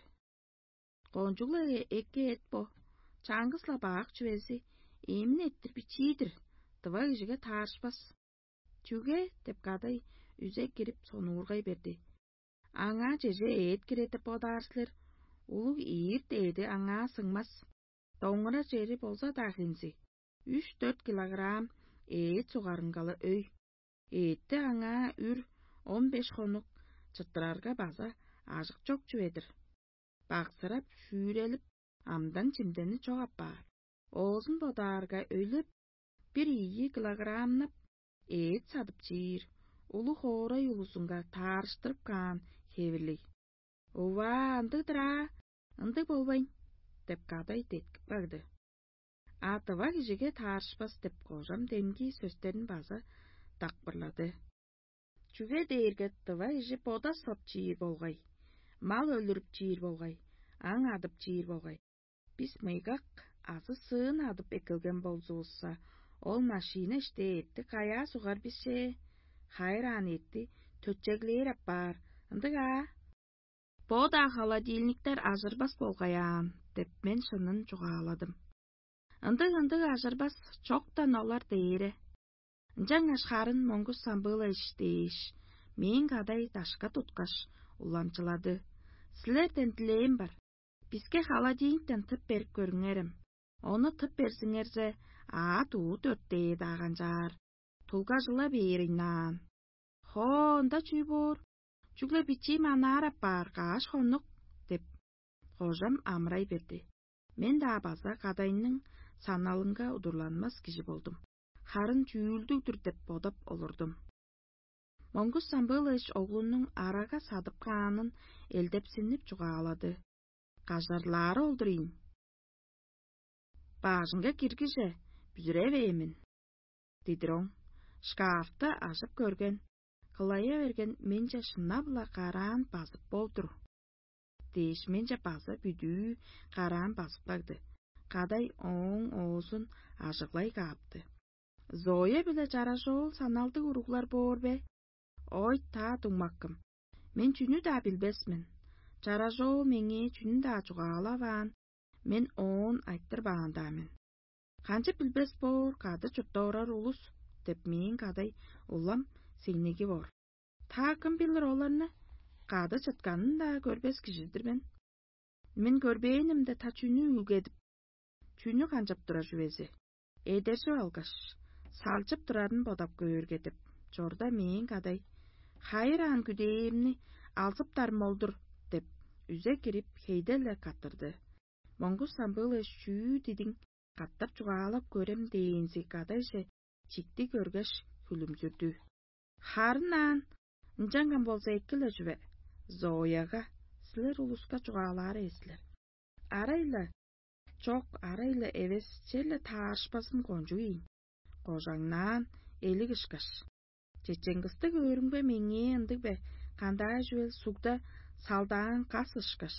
«Кончуг-ла эки эът бо, чаңгыс-ла бак чүвези, эмин эрттир бичии-дир, тыва кижиге таарышпас». «Чүге?» — деп, кадай үзе кирип сонуургай берди. «Аңаа чеже эът кирер деп бодаар силер? Улуг ийир дээди аңаа сыңмас. Доңура чери болза-даа хензи, үш-дөрт килограмм эът сугарынга-ла өй. Эътти аңаа үр он беш хонук чыттырарга база ажык чок чүве-дир. Баксырап, шүүрелип, амдан-чимдени чок апаар. Оозун бодаарга, өйлеп, бир ийи килограммнап эът садып чиир, улуг хоорай улузунга таарыштырып каан хевирлиг». «Ува, ындыг-дыр аа, ындыг болбайн» — деп, кадай деткип кагды. «А тыва кижиге таарышпас» — деп, кожам демги сөстерин база дакпырлады. «Чүге дээрге тыва кижи бода соп чиир болгай, мал өлүрүп чиир болгай, аң адып чиир болгай. Бис мыйгак азы сыын адып эккелген болзувусса, ол машина иште эътти каяа сугар бис че? Хайыраан эътти төтчеглээр апаар, ындыг аа? Бо-даа холодильниктер ажырбас болгай аан» — деп, мен шынын чугааладым. «Ындыг-ындыг, ажырбас, чоктан олар дээре. Ынчангаш харын, Монгуш Самбыылович» — дээш, мээң кадай дашка туткаш, уламчылады: «Силерден дилээм бар. Биске холодильниктен тып берип көрүңерем. Ону тып берзиңерзе, аът-уут өртээ-даа канчаар, тулгажыла бээр ыйнаан». «Хоо, ында чүү боор? Чүгле бичии манаар апаар, каш хонук» — деп, кожам амырай берди. Мен-даа база кадайның саналынга удурланмас кижи болдум, харын чүүлдүг-дүр деп бодап олурдум. Монгуш Самбыылович оглунуң арага садып каанын элдепсинип чугаалады: «Кажарлаары ол-дур ийин. Баажыңга киргиже, бүзүревээн мен» — дидир оң. Шкафты ажып көрген, кылая берген менче шынап-ла караан базып болдур дээш, менче база бүдүү караан базып кагды. Кадай ооң оозун ажыглай каапты: «Зоя биле Чаражоол саналдыг уруглар боор бе? Ой, таа дуңмаккым, мен чүнү-даа билбес мен. Чаражоол меңээ чүнү-даа чугаалаваан, мен оон айтырбаан-даа мен». «Канчап билбес боор, кады чуртта орар улус» — деп, мээң кадай улам сеңнеги боор. «Та кым билир оларны, кады чытканын-даа көрбес кижи-дир мен. Мен көрбээнимде, та чүнү үүлгедип, чүнү канчап турар чүвези? Эдержип алгаш, салчып турарын бодап көөрге» — деп, чорда мээң кадай: «Хайыраан күдээримни алзыптарым ол-дур» — деп, үзе кирип, хейде-ле каттырды. Монгуш Самбыылович чүү дидиң катап чугаалап көрем» дээнзи кадайже чикти көргеш, хүлүмзүрдү. Харын аан, ынчанган болза, эки-ле чүве, Зояга силер улуска чугаалаар эвес силер. Арай-ла чок, арай-ла эвес, черле таарышпазын кончуг ийин. Кожаңнаан, элиг ышкаш. Чечең кысты көөрүмге, меңээ ындыг бе, кандаа чүвел сугда салдаан кас ышкаш,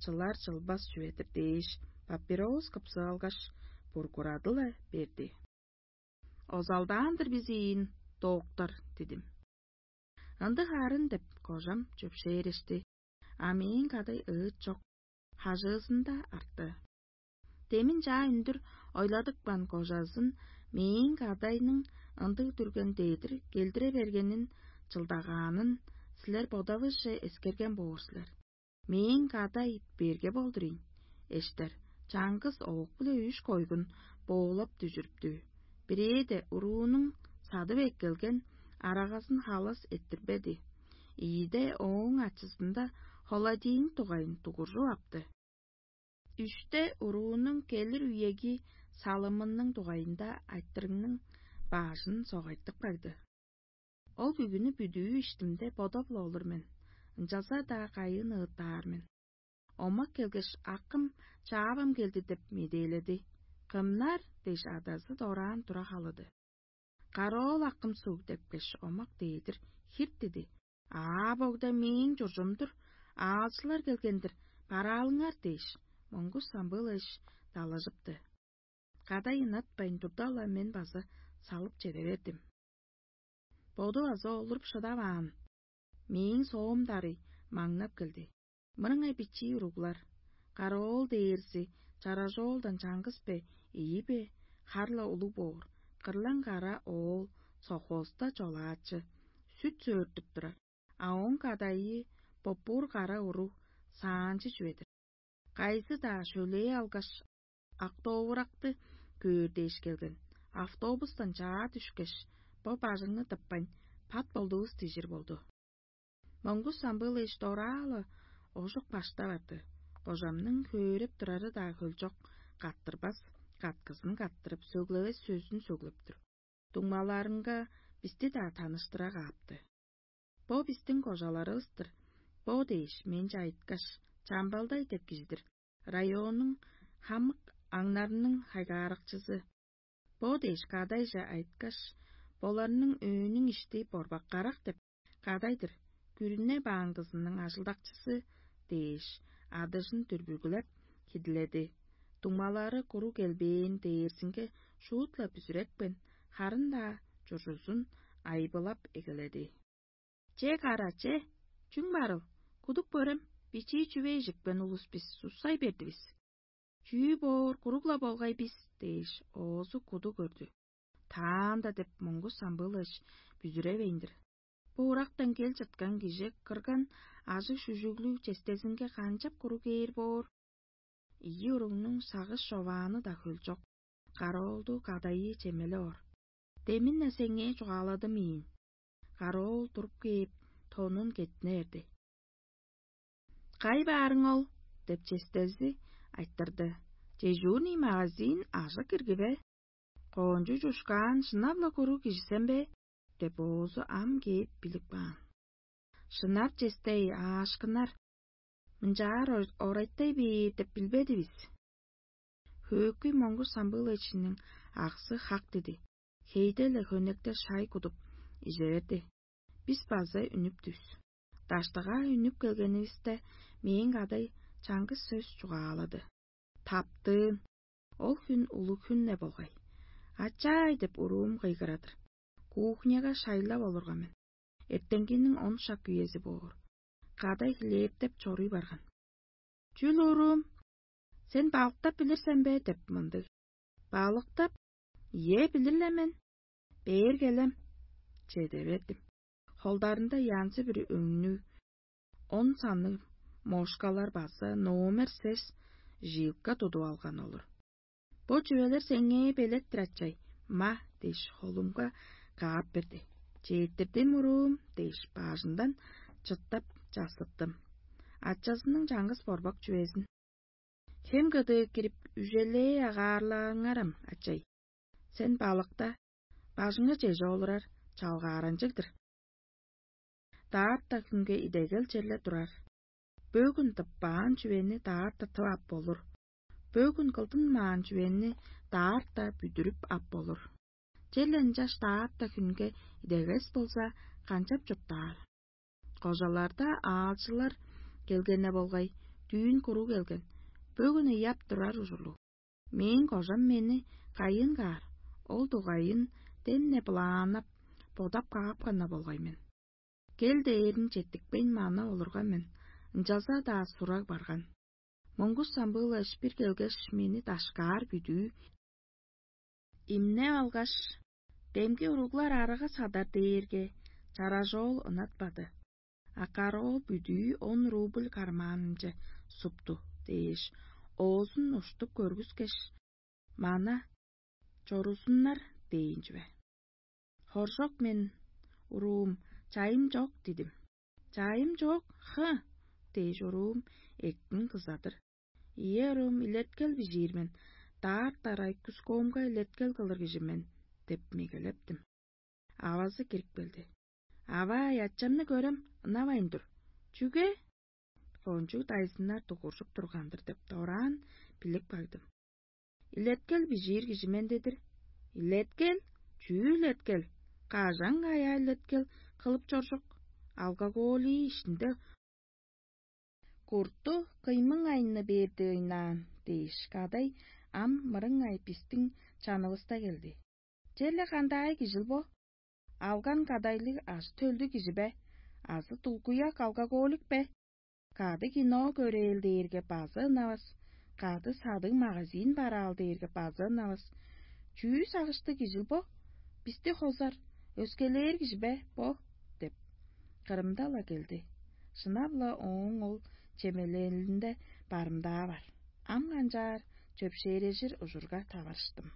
чылар чылбас чүве-дир дээш, папирос кыпсып алгаш, бургурады-ла берди. Озалдаан-дыр бис ийин, доктор, дидим. Ындыг арын деп, кожам чөпшээрешти, а мээң кадай ыыт чок, хажыызында арты. Демин чаа үндүр ойладыпкан кожазын мээң кадайның ындыг дүрген дедир келдире бергенин, чылдагаанын силер бодавысче эскерген боор силер. Мээң кадай берге болдур ийин. Эштер, чаңгыс оок-биле үш койгун боолап дүжүрүптү. Бирээде уруунуң садып эккелген арагазын халас эрттирбеди. Ийиде ооң ачызында холодильник дугайын дугуржуп апты. Үште уруунуң келир үеги салымының дугайында айтырыгның баажын согайтып кагды. Ол бүгүнү бүдүү иштимде бодап-ла олур мен, ынчалза-даа кайыын ыыттаар мен. Омак келгеш, акым чаавам келди деп медээледи. «Кымнар?» — дээш, адазы дораан тура халыды. «Кароол акым суг» — депкеш, омак дээдир хирт диди. «Аа, богда мээң чуржум-дур, аалчылар келген-дир, бараалыңар» — дээш, Монгуш Самбылович далажыпты. Кадай ынатпайн турда-ла, мен база салып чеде бердим. Боду база олуруп шыдаваан, мээң соом дарый маңнап келди. Мырыңай бичии уруглар, караоол дээрзи чаражоолдан чаңгыс бе, ийи бе, хар-ла улуг боор, кырлаң кара оол совхозта чолаачы, сүт сөөртүп турар, а ооң кадайы поппуур кара уруг саанчы чүве-дир. Кайызы-даа шөлээ алгаш, автовыракты көөр дээш келген. Автобустан чаа дүшкеш, бо бажыңны тыппайн, пат болдувус дижир болду. Монгуш Самбылович дораалы ожук баштап арды. Кожамның хөөреп турары-даа хөлчок, каттырбас, каткызын каттырып, сөглевес сөзүн сөглеп тур. Дуңмаларынга бисти-даа таныштыра каапты. «Бо бистиң кожаларывыс-тыр, бо» — дээш, менче айткаш, «Чамбалдай деп кижи-дир, районнуң хамык аңнарының хайгааракчызы». «Бо» — дээш, кадайже айткаш, «Боларның өөнүң ишти борбак карак» — деп, кадай-дыр, күрүне бааңгызының ажылдакчызы дээш, адыжын дүрбүгүлеп, хидиледи. Дуңмалары куруг келбээн дээрзинге шуут-ла бүзүрепкен, харын-даа чуржузун айбылап эгеледи. «Че, кара, че, чүң барыл? Кудуп көрем, бичии чүве ижипкен улус бис, суксай бердивис. Чүү боор, куруг-ла болгай бис» — дээш, оозу куду көрдү. «Таанда» — деп, Монгуш Самбылович бүзүревейн-дир. Бо ырактан кел чыткан кижи кырган ажыг-шүжүглүг честезинге канчап куруг кээр боор? Ийи уругнуң сагыш човааны-даа хөлчок, караоолду кадайы чемелеп ор. «Демин-не сеңээ чугааладым ийин». Караоол туруп кээп, тонун кеттине берди. «Кай баарың ол?» — деп честези айтырды. «Дежурный магазин, ажык ирги бе? Коончу чушкаан шынап-ла куруг кижи сен бе?» — деп, оозу ам кээп билип каан. «Шынап честей, аашкынар, мынчаар ор-, орайттай бээр деп билбедивис». Хөөкүй Монгуш Самбыловичиниң аксы хак диди. Хейде-ле хөнекте шай кудуп, ижерди. Бис база үнүптүвүс. Даштыгаа үнүп келгенивисте, мээң кадай чаңгыс сөс чугаалады: «Таптыын». Ол хүн улуг хүн-не болгай. «Ачаай!» — деп уруум кыйгырадыр. Кухняга шайлап олурган мен. Эртенгиниң он шак үези боор. Кадай хлебтеп чоруй барган. «Чүл, уруум, сен балыктап билир сен бе?» — деп мындыг. «Балыктап? Ийе, билир-ле мен. Бээр келем». Чеде бердим. Холдарында янзы-бүрү өңнүг, он санныг мошкалар база номер сес жилка тудуп алган олур. «Бо чүвелер сеңээ белет-тир, ачай, ма» — дээш, холумга каап берди. «Четтирдим, уруум» — дээш, бажындан чыттап чассыттым. Ачазының чаңгыс борбак чүвезин. Хем кыдыы кирип, үжелээ агаарлааңарам, ачай. Сен балыкта, бажыңга чеже олурар чалгааранчыг-дыр. Даарта хүнге идегел черле турар. Бөгүн тыппаан чүвени даарта тып ап болур. Бөгүн кылдынмаан чүвени даарта бүдүрүп ап болур. Черле ынчаш даарта хүнге идегес болза, канчап чурттаар? Кожаларда аалчылар келгене болгай, дүүн куруу келген. Бөгүн ыяп турар ужурлуг. Мээң кожам мени кайыын каар, ол дугайын демне былааннап, бодап каапкан-на болгай мен. Кел дээрин четтикпейн мана олурган мен, ынчалза-даа сураг барган. Моңгуш самбыыла ышпир келгеш, мени дашкаар бүдүү имнеп алгаш, демги уруглар арага садар дээрге, чаражоол ынатпады. А караоол бүдүү он рубль кармаанынче супту дээш, оозун уштуп көргүскеш, мана чорузуннар дээн чүве. Хоржок мен, уруум, чайым чок дидим. Чайым чок, хы дээш, уруум эктин кызадыр. Ийе, уруум, илеткел бижиир мен, даарт-дарай кускоомга илеткел кылыр кижи мен деп мегелептим. Авазы кирип келди. Аваа, ячамны көрем, ынавайн тур. Чүге? Кончуг дайзыннар дугуржуп турган-дыр деп дораан билип кагдым. Илеткел бижиир кижи мен дедир. Илеткел? Чүү илеткел? Кажан каяа илеткел кылып чоржук? Алкоголии ишинде курту кыймың айны бээрди ыйнаан дээш, кадай ам мырыңай бистиң чанывыста келди. Черле кандай кижил бо? Алган кадайлыг ажы-төлдүг кижи бе? Азы дулгуяк алкоголик бе? Кады кино көрээлдээрге база ынавас, кады садыг магазин бараал дээрге база ынавас. Чүү сагыштыг кижил бо? Бисти хозар, өскелээр кижи бе бо? Деп, кырымда-ла келди. Шынап-ла ооң ол чемелелинде барымдаа бар. Ам канчаар чөпшээрежир ужурга таварыштым.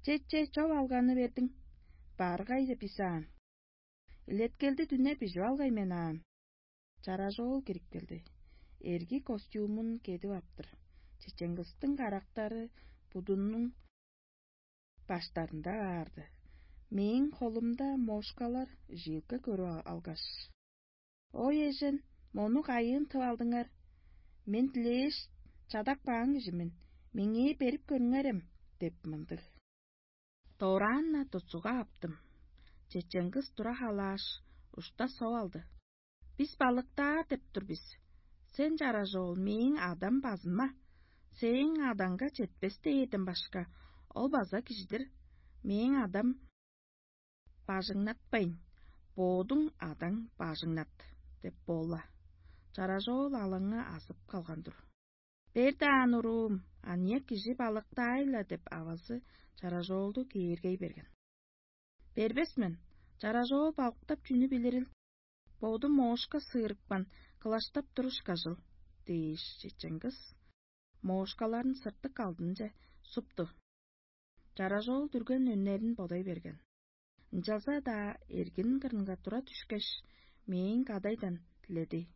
Четче, чоп алганы бердиң. Баргай деп бис аан. Илеткелди дүне бижип алгай мен аан. Чаражоол кирип келди. Эрги костюмун кедип аптыр. Чеченгистиң карактары будунуң баштарында баарды. Мээң холумда мошкалар жилка көрүп алгаш: «Ой, эжен, мону кайыын тып алдыңар? Мен дилээш чадап каан кижи мен, меңээ берип көрүңерем» — деп мындыг. Дораан-на тутсуга аптым. Чеченгис тура халааш, ушта соп алды. «Бис балыктаар деп тур бис. Сен, чаражоол, мээң адам базынма. Сээң адаңга четпес дээрден башка, ол база кижи-дир. Мээң адам бажыңнатпайн, бодуң адаң бажыңнат» — деп боола. Чаражоол алаңы азып калган-дур. «Бер даан, уруум, аныяк кижи балыктаай-ла» — деп авазы чаражоолду кээргей берген. «Бербес мен, чаражоол балыктап чүнү билирил? Боду моошка сыырыпкан, кылаштап туруш кажыл» — дээш, чеченгис моошкаларын сыртык алдынче супту. Чаражоол дүрген өннерин бодай берген. Ынчалза-даа эргин кырынга тура дүшкеш, мээң кадайдан диледи: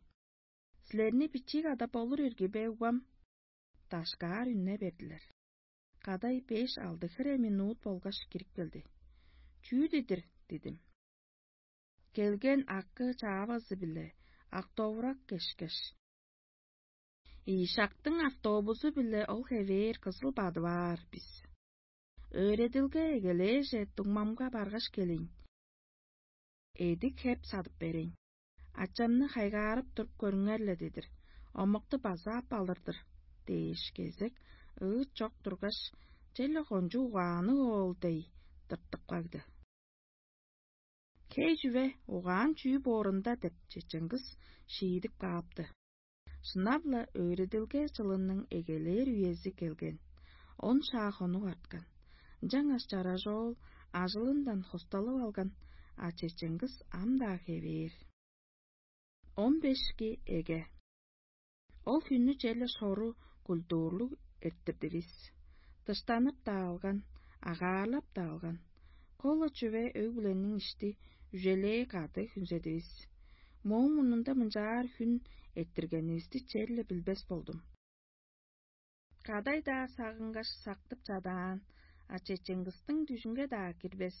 «Силерни бичии када болур ирги бе, угбам?» Дашкаар үнне бердилер. Кадай беш-алды хире минут болгаш кирип келди. «Чүү дидир?» — дидим. «Келген акы чаавазы-биле автовраг кешкеш, ийи шактың автобузу-биле ол хевээр кызыл бадып аар бис. Өөредилге эгелээже дуңмамга баргаш келейн. Эдик хеп садып берейн. Ачамны хайгаарып туруп көрүңер-ле дедир, омакты база ап алыр-дыр» — дээш, кезек ыыт чок тургаш, черле кончуг угаанныг оол дег тыртып кагды. «Хей чүве, угаан чүү боорунда?» — деп, чеченгис шиидип каапты. Шынап-ла, өөредилге чылының эгелээр үези келген. Он шаа хонук арткан. Ынчангаш чаражоол ажылындан хосталып алган, а чеченгис ам-даа хевээр. Он бешки эге. Ол хүннү черле шору культурлуг эрттирдивис. Дыштанып-даа алган, агаарлап-даа алган. Кола чүве өг-бүлениң ишти, үжелээ кады хүнзедивис. Мооң мурнунда мынчаар хүн эрттиргенивисти черле билбес болдум. Кадай-даа сагынгаш сактып чадаан, а чечең кыстың дүжүнге-даа кирбес.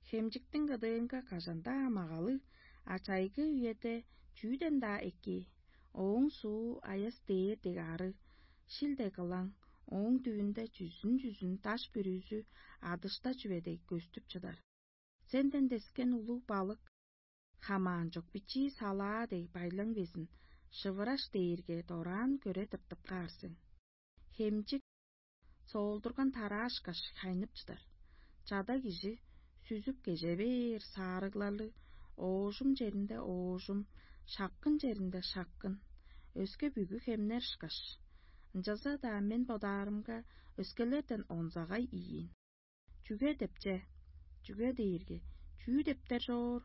Хемчиктиң кыдыынга кажан-даа магалыг, а чайгы үеде чүүден-даа эки. Ооң суу аяс дээр дег ары, шил дег кылаң, ооң дүвүнде чүзүн-чүзүн даш бүрүзү адышта чүве дег көстүп чыдар. Сенден дескен улуг балык хамаан чок бичии салаа дег байлаң безин шывыраш дээрге дораан көре тыртып каар сен. Хемчик соолдурган тараашкаш хайнып чыдар. Чада кижи сүзүп кеже бээр саарыгларлыг, оожум черинде оожум, шапкын черинде шапкын, өске бүгү хемнер ышкаш. Ынчалза-даа мен бодаарымга өскелерден онзагай ийин. Чүге деп че? Чүге дээрге чүү дептер чоор,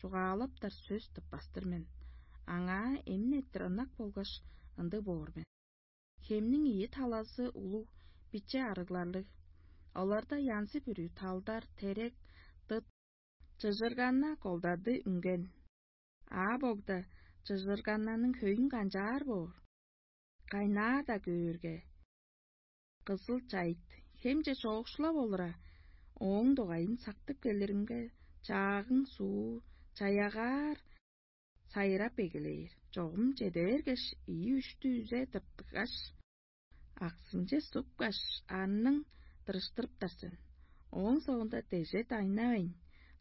чугаалаптар сөс тыппас-тыр мен. Аңаа эмин эрттир ынак болгаш ындыг боор мен. Хемниң ийи талазы улуг, биче арыгларлыг. Оларда янзы-бүрү талдар, терек, дыт, чыжыргана, колдады үнген. А богда чыжыргананың хөйүн канчаар боор? Кайнаар-даа көөрге, кызыл чайыт хемче чоокшулап олура, ооң дугайын сактып келиримге, чаагың суу чаягаар сайырап эгелээр, чогум чеде бергеш, ийи-үштү үзе тыртыгаш, аксынче супкаш, арның дырыштырыптар сен. Ооң соонда дежет айнавайн,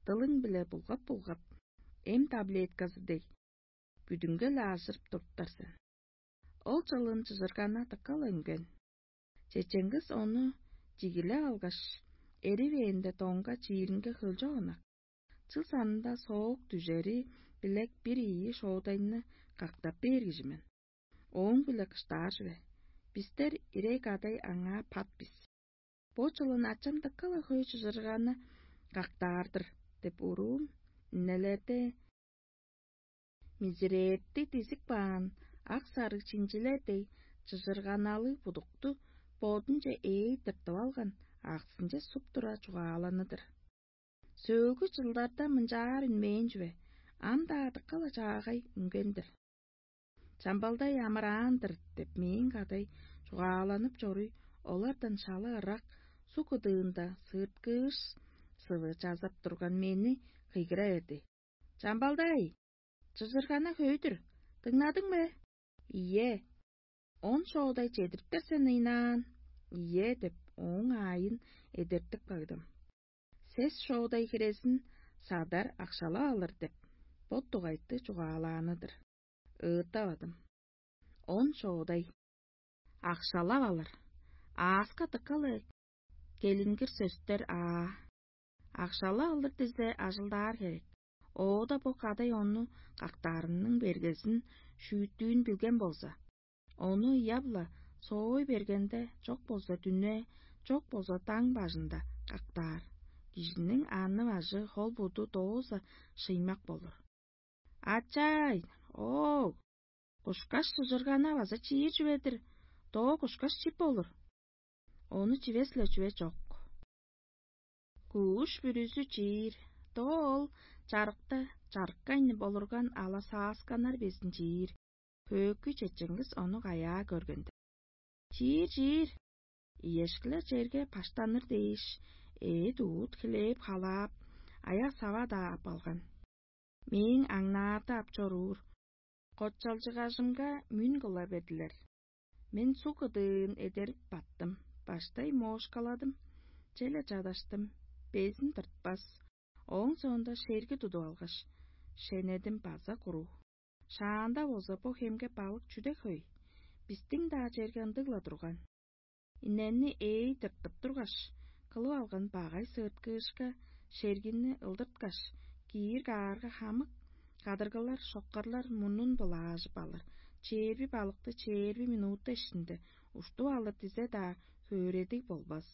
дылың-биле булгап-булгап, эм таблетказы дег, бүдүнге-ле ажырып туруптар сен. Ол чылын чыжыргана дыка-ла үнген. Чечеңгис ону чигилеп алгаш, эривээнде доңга чииринге хөлчок ынак. Чыл санында соок дүжери билек бир ийи шоодайны кактап бээр кижи мен. Ооң-биле кыштаар чүве. Бистер ирей кадай аңаа пат бис. Бо чылын ачам дыка-ла хөй чыжырганы кактаар-дыр деп уруум, иннелерде мизирээтти дизип каан ак-сарыг чинчилер дег чыжырганалыг будукту бодунче ээй тыртып алган, аксынче суп тура чугааланы-дыр. Сөөлгү чылдарда мынчаар үнмээн чүве, ам-даа дыка-ла чаагай үнген-дир. «Чамбалдай амыраан-дыр» деп мээң кадай чугааланып чоруй, олардан шала ырак, суг кыдыында сыырткыыш сывы чазап турган мени кыйгыра берди: «Чамбалдай, чыжыргана хөй-дүр, дыңнадың бе?» «Ийе». «Он шоодай чедириптер сен ыйнаан?» «Ийе» – деп, ооң аайын эдертип кагдым. «Сес шоодай хирезин садар акшалап алыр» – деп, бот дугайты чугаалааны-дыр. Ыыттавадым. Он шоодай. Акшалап алыр. Ааска дыка-ла келингир сөстер аа. Акшалап алыр дизе, ажылдаар херек. Оода бо кадай ону кактаарының бергезин шүүттүүн билген болза, ону ыяп-ла соой бергенде, чок болза дүне, чок болза даң бажында кактаар. Кижиниң аны-бажы, хол-буду дооза шыймак болур. «Ачай, оок, кушкаш чыжыргана база чиир чүве-дир, доо кушкаш чип болур. Ону чивес-ле чүве чок. Кууш бүрүзү чиир, доо ол чарыкта чарыккайны болурган ала саасканнар безин чиир, хөөкүй чечеңгис ону каяа көргенде». «Чиир, чиир!» Иешкилер черге баштаныр дээш, эът-уут хлеб халаап, аяк-сава-даа ап алган. Мээң аңнаарда ап чоруур котчалчыгажымга мүн кыла бердилер. Мен суг кыдыын эдерип баттым, баштай моошкаладым, чеже чадаштым, безин тыртпас. Ооң соонда шерги тудуп алгаш, шенедим база куруу. Шаанда болза бо хемге балык чүдек хөй, бистиң-даа черге ындыг-ла турган. Иннени ээй тыртып тургаш, кылып алган багай сыырткыышка шергини ылдырткаш, киир каарга, хамык кадыргылар, шоккарлар мурнун былаажып алыр, чээрби балыкты чээрби минута иштинде уштуп алыр дизе-даа, хөөредиг болбас.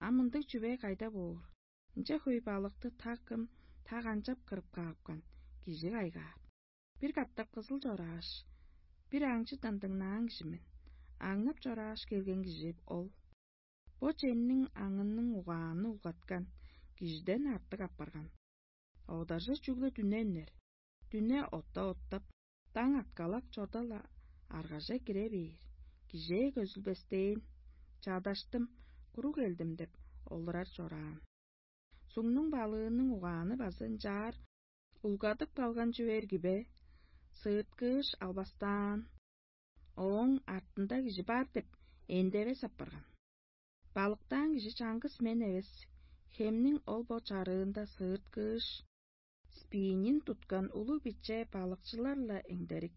А мындыг чүве кайда боор? Ынча хөй балыкты та кым, та канчап кырып каапкан, кижи кайгаар. Бир катап кызыл чорааш, бир аңчыдан дыңнаан кижи мен. Аңнап чорааш келген кижи ол. Бо чемниң аңының угааны улгаткан, кижиден артык апарган. Одаржы чүгле дүне үнер. Дүне отта оттап, даң аткалак чорда-ла аргаже кире бээр. кижээ көзүлбестээн, чадаштым, куруг элдим деп олурар чораан. Суңнуң балыының угааны база ынчаар улгадып калган чүве эрги бе? Сыыткыыш албастаан, ооң артында кижи бар деп эндевес апарган. Балыктаан кижи чаңгыс мен эвес, хемниң ол бо чарыында сыыткыыш, спиннин туткан улуг-биче балыкчылар-ла эңдерик.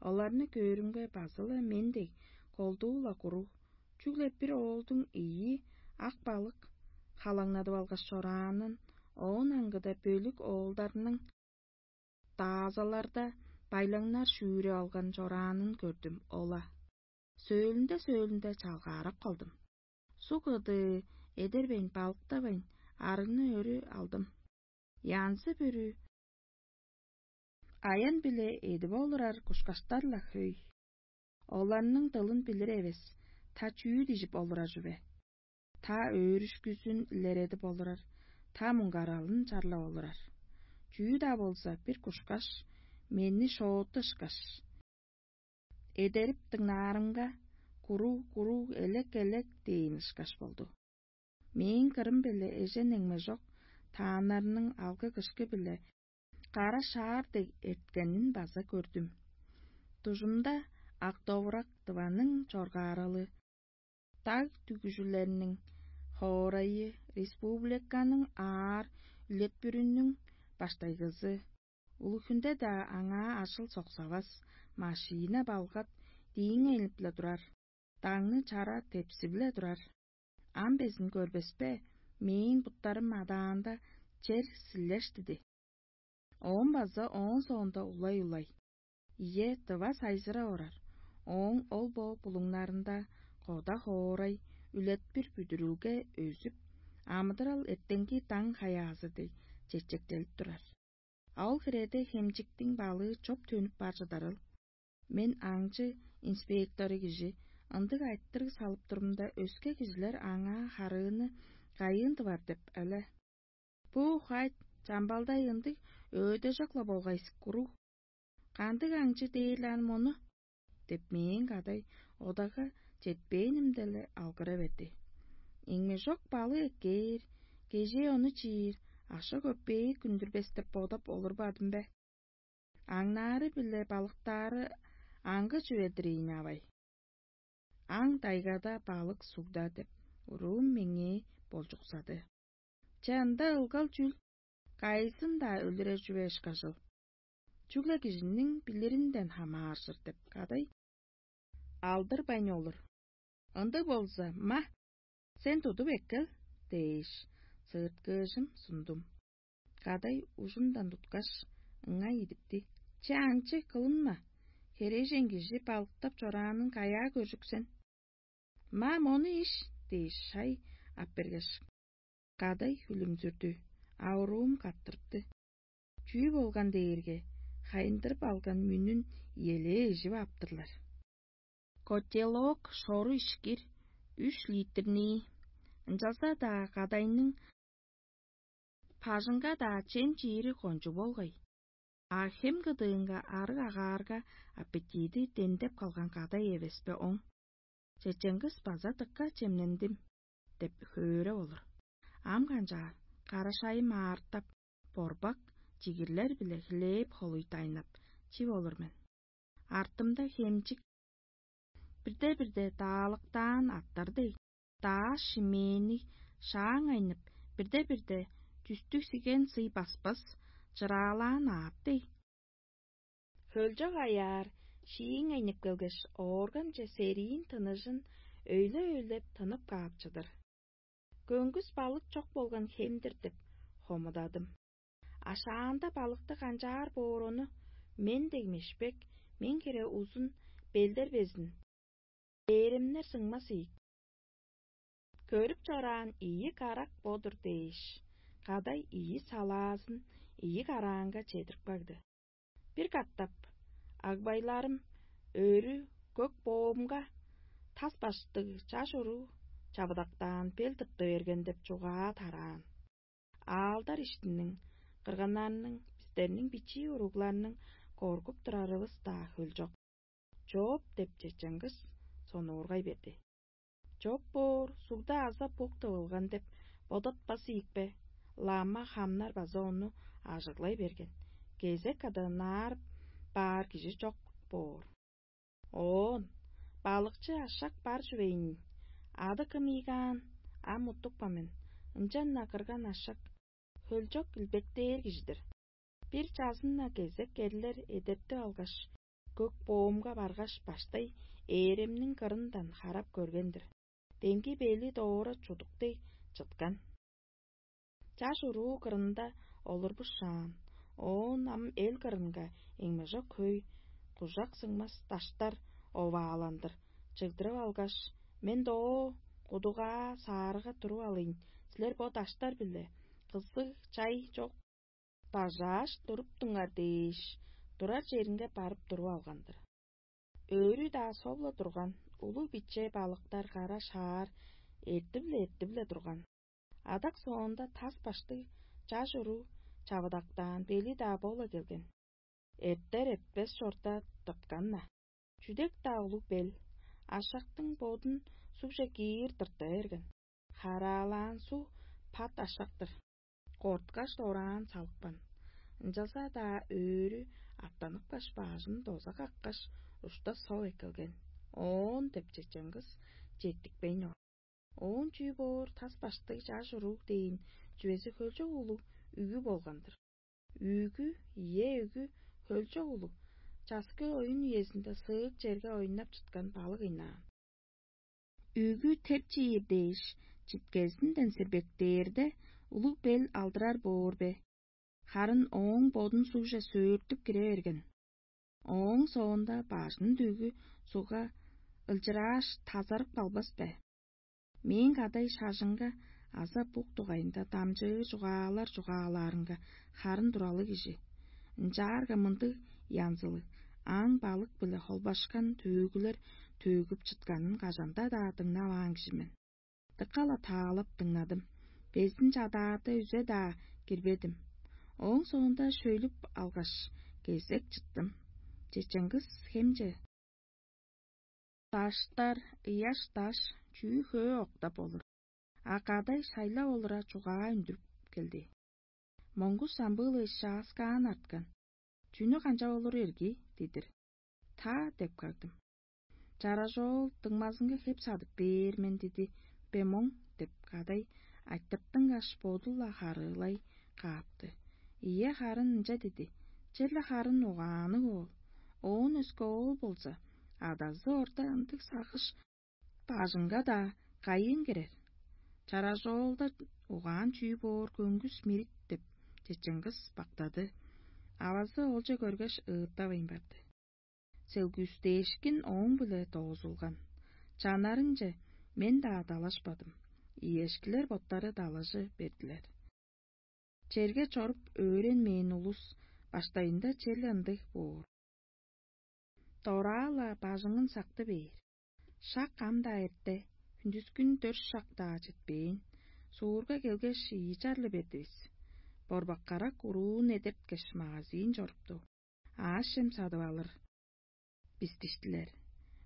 Оларны көөрүмге, база-ла мен дег, колдуу-ла куруг, чүгле бир оолдуң ийи ак балык халаңнадып алгаш чораанын, оон аңгыда бөлүк оолдарның даазаларда байлаңнар шүүреп алган чораанын көрдүм. Ола сөөлүнде-сөөлүнде чалгаарап калдым. Суг ыдыы эдербейн, балыктавайн, арыгны өрү алдым. Янзы-бүрү аян-биле эдип олурар кушкаштар-ла хөй. Оларның дылын билир эвес, та чүү дижип олурар чүве? Та өөрүшкүзүн илередип олурар, та муңгаралын чарлап олурар. Чүү-даа болза, бир кушкаш, мени шооту ышкаш, эдерип дыңнаарымга, куруу-куруу, элек-элек дээн ышкаш болду. Мээң кырым-биле эжен эңмежок тааннарның алгы-кышкы-биле кара шаар дег эрткенин база көрдүм. Дужумда ак довурак Тываның чоргааралы, даг дүгүжүлерниң хоорайы, республиканың аар үлетпүрүнүң баштайгызы, улуг хүнде-даа аңаа ажыл соксавас, машина балгат дииңейнип-ле турар, даңны чара тепсип-ле турар. Ам безин көрбеспе, мээң буттарым адаанда чер силлештиди. Оон база оон соонда улай-улай. Ийе, тыва сайзырап орар. Ооң ол бо булуңнарында кода хоорай, үлетпир бүдүрүлге өзүп, амыдырал эртеңги даң хаяазы дег чечектелип турар. А ол хиреде хемчиктиң балыы чоп төнүп бар чыдарыл. Мен аңчы инспектору кижи ындыг айтырыг салып турумда, өске кижилер аңаа харыыны кайыын тывар деп эле. Бу хайт чамбалдай ындыг өөдежок-ла болгай сиккуруу. Кандыг аңчы дээр-ле ан мону? Деп мээң кадай одага четпээнимде-ле алгыра берди. Эңмежок балы эккээр, кежээ ону чиир, аша-көппээ күндүрбес деп бодап олурбадым бе? Аңнаары-биле балыктаары аңгы чүве-дир ийин авай. Аң дайгада, балык сугда деп уруум меңээ болчуксады. Че, ында ылгал чүл, кайызын-даа өлүрер чүве ышкажыл. Чүгле кижиниң билиринден хамааржыр деп кадай алдырбайн олур. Ындыг болза, ма, сен тудуп эккел дээш, сыырткыыжым сундум. Кадай ужундан туткаш, ыңай идипти: «Че, аңчы, кылынма, херээжен кижи балыктап чораанын каяа көржүксен? Ма, мону иш» дээш, шай ап бергеш, кадай хүлүмзүрдү, а уруум каттырыпты. Чүү болган дээрге, хайындырып алган мүнүн иелээ ижип аптырлар. Котелок шору ишкир, үш литрнии, ынчалза-даа кадайның бажыңга-даа чем чиири кончуг болгай. А хем кыдыынга арыг агаарга аппетиди демдеп калган кадай эвеспе оң. Чечеңгис база дыка чемнендим деп хөөреп олур. Ам канчаар, карашайым аартап, борбак чигирлер-биле хлеб холуй дайнап, чип олур мен. Артымда хемчик бирде-бирде даалыктаан аттар дег, дааш шимээни шааң айнып, бирде-бирде чүстүг сиген сый баспас, чыраалаан аът дег. Хөлчок аяар шииң айнып келгеш, оорганче сериин тыныжын өйле-өйлеп тынып каап чыдыр. Көңгүс балык чок болган хем-дир деп хомудадым. Ашаанда балыкты канчаар боор ону, мен дег мешпек, мен хире узун, белдер безин, дээремнер сыңмас ийик. Көрүп чораан ийи карак бо-дур дээш, кадай ийи салаазын ийи караанга чедирип кагды. Бир катап агбайларым өрү көк боомга тас баштыг чаш уруу чавыдактаан бел тыпты берген деп чугаа тараан. Аалдар иштиниң, кырганнарның, бистерниң бичии уругларның коргуп турарывыс-даа хөлчок. Чооп деп чечеңгис сонуургай берди. Чоп боор, сугда аза бук тывылган деп бодатпас ийикпе, лама хамнар база ону ажыглай берген. Кезек каданаар баар кижи чок боор. Оон: «Балыкчы ашак бар чүвейн, ады кым ийгаан, ам уттупкан мен, ынчан-на кырган ашак хөлчок илбектээр кижи-дир. Бир чазын-на кезек керлер эдертип алгаш, көк боомга баргаш, баштай ээремниң кырындан харап көрген-дир. Демги бели доора чудук дег чыткан. Чаш уруу кырында олурбушаан, оон ам эл кырынга эңмежок хөй, кужак сыңмас даштар овааландыр чыгдырып алгаш: „Мен доо кудугаа саарыга туруп алыйн, силер бо даштар-биле кызыг чай чок бажааш туруптуңар“ – дээш, турар черинге барып туруп алган-дыр. Өрү-даа соп-ла турган, улуг-биче балыктар кара шаар эртип-ле эртип-ле турган. Адак соонда тас баштыг чаш уруу чавыдактаан, бели-даа бо-ла келген. Эртер эртпес чорда тырткан-на. Чүдек-даа улуг бел, ашактың бодун сугже киир тырта берген. Хараалаан суг пат ашак-тыр. Корткаш, дораан салыпкан. Ынчалза-даа өрү аптаныпкаш, бажын доза каккаш, ушта сок эккелген. «Оон» – деп чечен кыс четтикпейн ол. Оон чүү боор, тас баштыг чаш уруг дээн чүвези хөлчок улуг үгү болган-дыр. Үгү, ийе, үгү хөлчок улуг, часкы оюн үезинде сыык черге ойнап чыткан балык ыйнаан. Үгү теп чиир дээш, читкезинден сирбектээрде, улуг бел алдырар боор бе? Харын ооң бодун сугже сөөртүп кире берген. Ооң соонда бажын дүгү сугга ылчырааш, тазарып калбас бе? Мээң кадай шажынга аза бук дугайында дамчыы чугаалар чугаалаарынга харын туралыг кижи. Ынчаарга мындыг янзылыг аң балык-биле холбашкан төөгүлер төөгүп чытканын кажан-даа дыңнаваан кижи мен. Дыка-ла таалап дыңнадым. Безин чадаарда үзе-даа кирбедим. Ооң соонда шөйлүп алгаш, кезек чыттым. Чеченгис хемче даштар, ыяш даш, чүү-хөө октап олур. А кадай шайлап олура чугаа үндүрүп келди. Моңгуш самбыылы шааскаан арткан. «Чүнү канчап олур эрги?» – дидир. «Та» – деп кагдым. «Чаражоол дыңмазынга хеп садып бээр мен» – диди. «Бе моң» – деп кадай айтыртынгаш, боду-ла харыылай каапты. Ийе, харын ынча диди. Черле харын угаанныг оол. Оон өске оол болза, адазы орта ындыг сагыш бажыңга-даа кайыын кирер? Чаражоолда угаан чүү боор көңгүс мирит» – деп, чечен кыс бактады. Авазы олче көргеш, ыыттавайн барды. Селгүүстээшкин ооң-биле доозулган. Чанарынче мен-даа далашпадым. Иешкилер боттары далажы бердилер. Черге чоруп өөренмээн улус баштайында черле ындыг боор. Дораа-ла бажыңын сакты бээр. Шак ам-даа эрте, хүндүскүн дөрт шак-даа четпээн, суурга келгеш, ийи чарлы бердивис. Борбак-карак уруун эдерткеш, магазин чорупту. Аъш-чем садып алыр бис диштилер.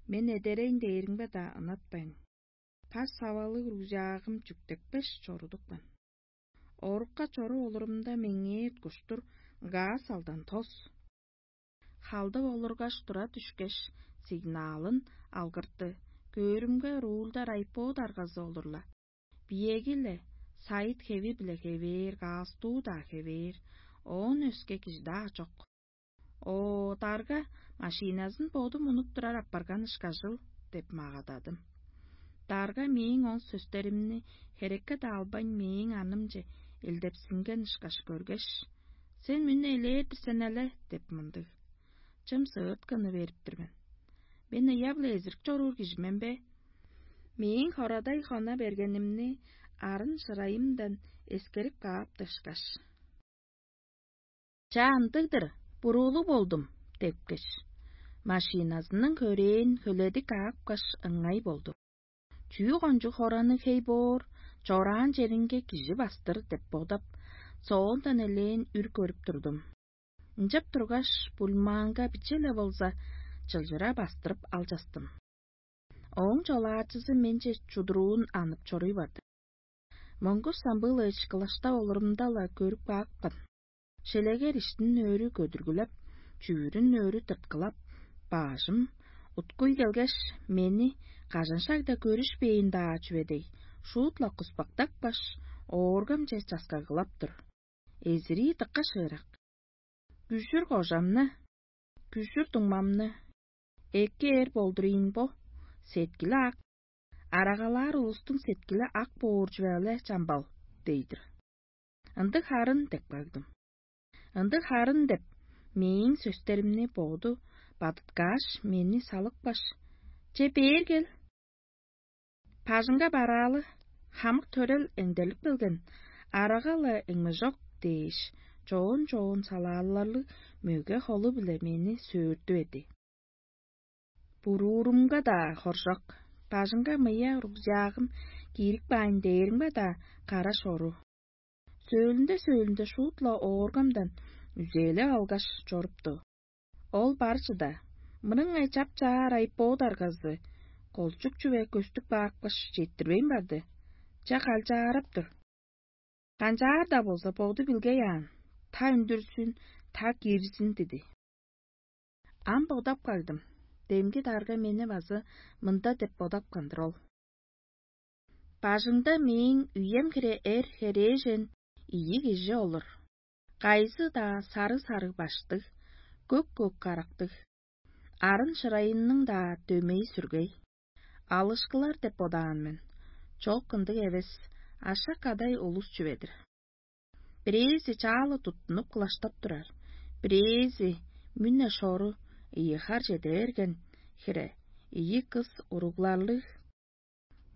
Мен эдерейн дээримге-даа ынатпайн, паш савалыг рузягым чүктепкеш, чорудупкан. Орукка чоруп олурумда, меңээ уткуштур газ алдан тос. Халдып олургаш, тура дүшкеш, сигналын алгыртты. Көөрүмге, рульда райпо даргазы олур-ла. Биеги-ле, сайыт хеви-биле хевээр, галстуу-даа хевээр, оон өске кижи-даа чок. «О, дарга машиназын боду мунуп турар апарган ышкажыл» – деп магададым. Дарга мээң ол сөстеримни херекке-даа албайн, мээң анымче элдепсинген ышкаш көргеш: «Сен мени элээр-дир сен але» – деп мындыг чым сыыткыны берип тур мен. Мен ыяп-ла эзирик чоруур кижи мен бе? Мээң хорадай хона бергенимни арын шырайымдан эскерип каап дышкаш: «Чаа, ындыг-дыр, буруулуг болдум» – депкеш, машиназының хөрээн хөледип каапкаш, ыңай болду. Чүү кончуг хораны хей боор, чораан черинге кижи бастыр деп бодап, соондан элээн үр көрүп турдум. Ынчап тургаш, бульмаанга биче-ле болза чылчыра бастырып алчастым. Ооң чолаачызы менче чудуруун анып чоруй барды. Монгуш самбыылыыш кылаштап олурумда-ла көрүп каапкан. Шелегер иштин өрү көдүргүлеп, чүүрүн өрү тырткылап, баажым уткуй келгеш, мени кажан-шагда көрүшпээн-даа чүве дег, шуут-ла куспактапкаш, ооргамче часкагылап тур. Эзирии дыка шыырак. Күжүр кожамны, күжүр дуңмамны, эки эр болдур ийин бо, сеткили ак, арагалаар улустуң сеткили ак боор чүве-ле чамбал, дей-дир. Ындыг харын деп кагдым. Ындыг харын деп, мээң сөстеримни боду бадыткааш, мени салыпкаш: «Че, бээр кел. Бажыңга бараалы, хамык төрел эңдерлип келген, арага-ла эңмежок» дээш, чоон-чоон салааларлыг мөге холу-биле мени сөөртүп эди. Буруурумга-даа хоржок, бажыңга мыя рюкзагым киирип каайн дээримге-даа кара шору. Сөөлүнде-сөөлүнде шуут-ла ооргамдан үзээлеп алгаш чорупту. Ол бар чыда, мырыңай чап-чаар айып боо даргазы, колчук чүве көстүп каапкаш, четтирбейн барды. Ча калчаарап тур. Канчаар-даа болза, боду билгей аан, та үндүрзүн, та кирзин диди. Ам бодап кагдым, демги дарга мени база мында деп бодапкан-дыр ол: «Бажыңда мээң үем хире эр херээжен ийи кижи олур. Кайызы-даа сарыг-сарыг баштыг, көк-көк карактыг, арын шырайынның-даа дөмей-сүргей. Алышкылар деп бодаан мен. Чок, ындыг эвес, ашак-кадай улус чүве-дир. Бирээзи чаалы туттунуп кылаштап турар, бирээзи мүне шору ийи хар чеде берген хире, ийи кыс уругларлыг.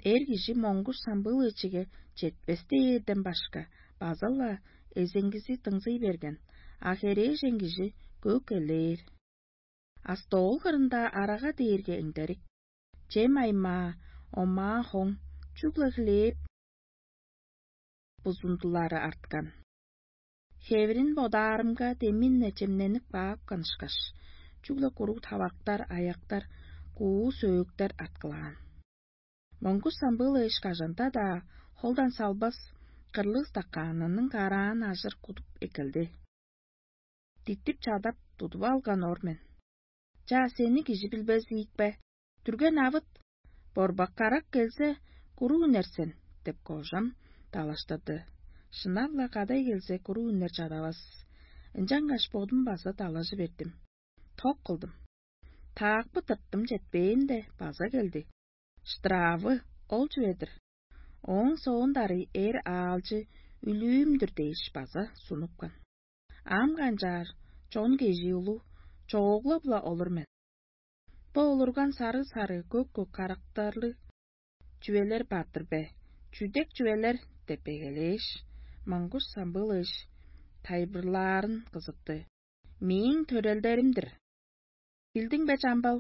Эр кижи моңгуш самбыылыычыге четпес дээрден башка база-ла эзеңгизи дыңзый берген, а херээжен кижи көк элээр. А стол кырында арага дээрге эңдерик, чем аймаа, омаа хоң, чүгле хлеб бузундулары арткан. Хевирин бодаарымга, демин-не чемненип каапкан ышкаш, чүгле куруг тавактар, аяктар, куу сөөктер арткылаан. Моңгуш самбыылыыш кажанда-даа холдан салбас, кырлыг стаканының караан ажыр кудуп эккелди. Диттип чадап, тудуп алган ор мен. «Чаа, сени кижи билбес ийик бе? Дүрген авыт, борбак карак келзе, куруг үнер сен» — деп кожам далаштады. Шынап-ла, кадай келзе, куруг үнер чадавас. Ынчангаш бодум база далажы бердим. Ток кылдым. Таакпы тырттым, четпээнде, база келди. Штравы ол чүве-дир. Ооң соонда ырый эр аалчы үлүүм-дүр дээш база сунупкан. Ам канчаар, чон кежии улуг, чоогла-ла олур мен. Бо олурган сарыг-сарыг, көк-көк карактарлыг чүвелер бар-дыр бе? Чүдек чүвелер деп эгелээш, маңгуш самбыылыыш тайылбырлаарын кызыпты. «Мээң төрелдерим-дир. Билдиң бе, чамбал?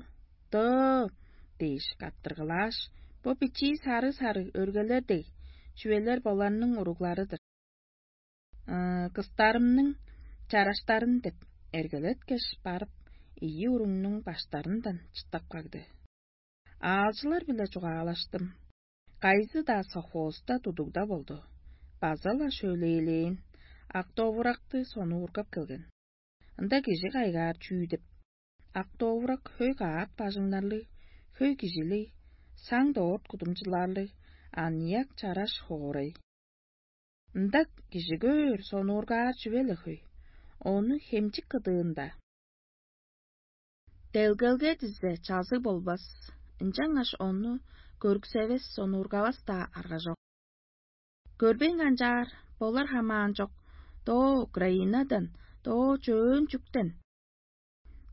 Доо!» — дээш каттыргылааш, бо бичии сарыг-сарыг өргелер дег чүвелер боларның уруглары-дыр. Кыстарымның чараштарын деп эргелеткеш барып, ийи уругнуң баштарындан чыттап кагды. Аалчылар-биле чугаалаштым. Кайызы-даа совхозда, тудугда болду. База-ла шөлээлээн, ак довуракты сонуургап келген. Ында кижи кайгаар чүү деп? Ак довурак хөй каат бажыңнарлыг, хөй кижилиг, саң доорт кудумчуларлыг, аныяк чараш хоорай. Ында кижи көөр, сонуургаар чүве-ле хөй. Ону хемчик кыдыында. Делгелге дизе чазыг болбас, ынчангаш ону көрүксевес, сонуургавас-даа арга чок. Көрбейн канчаар, болар хамаан чок, доо Украинадан, доо чөөн чүктен,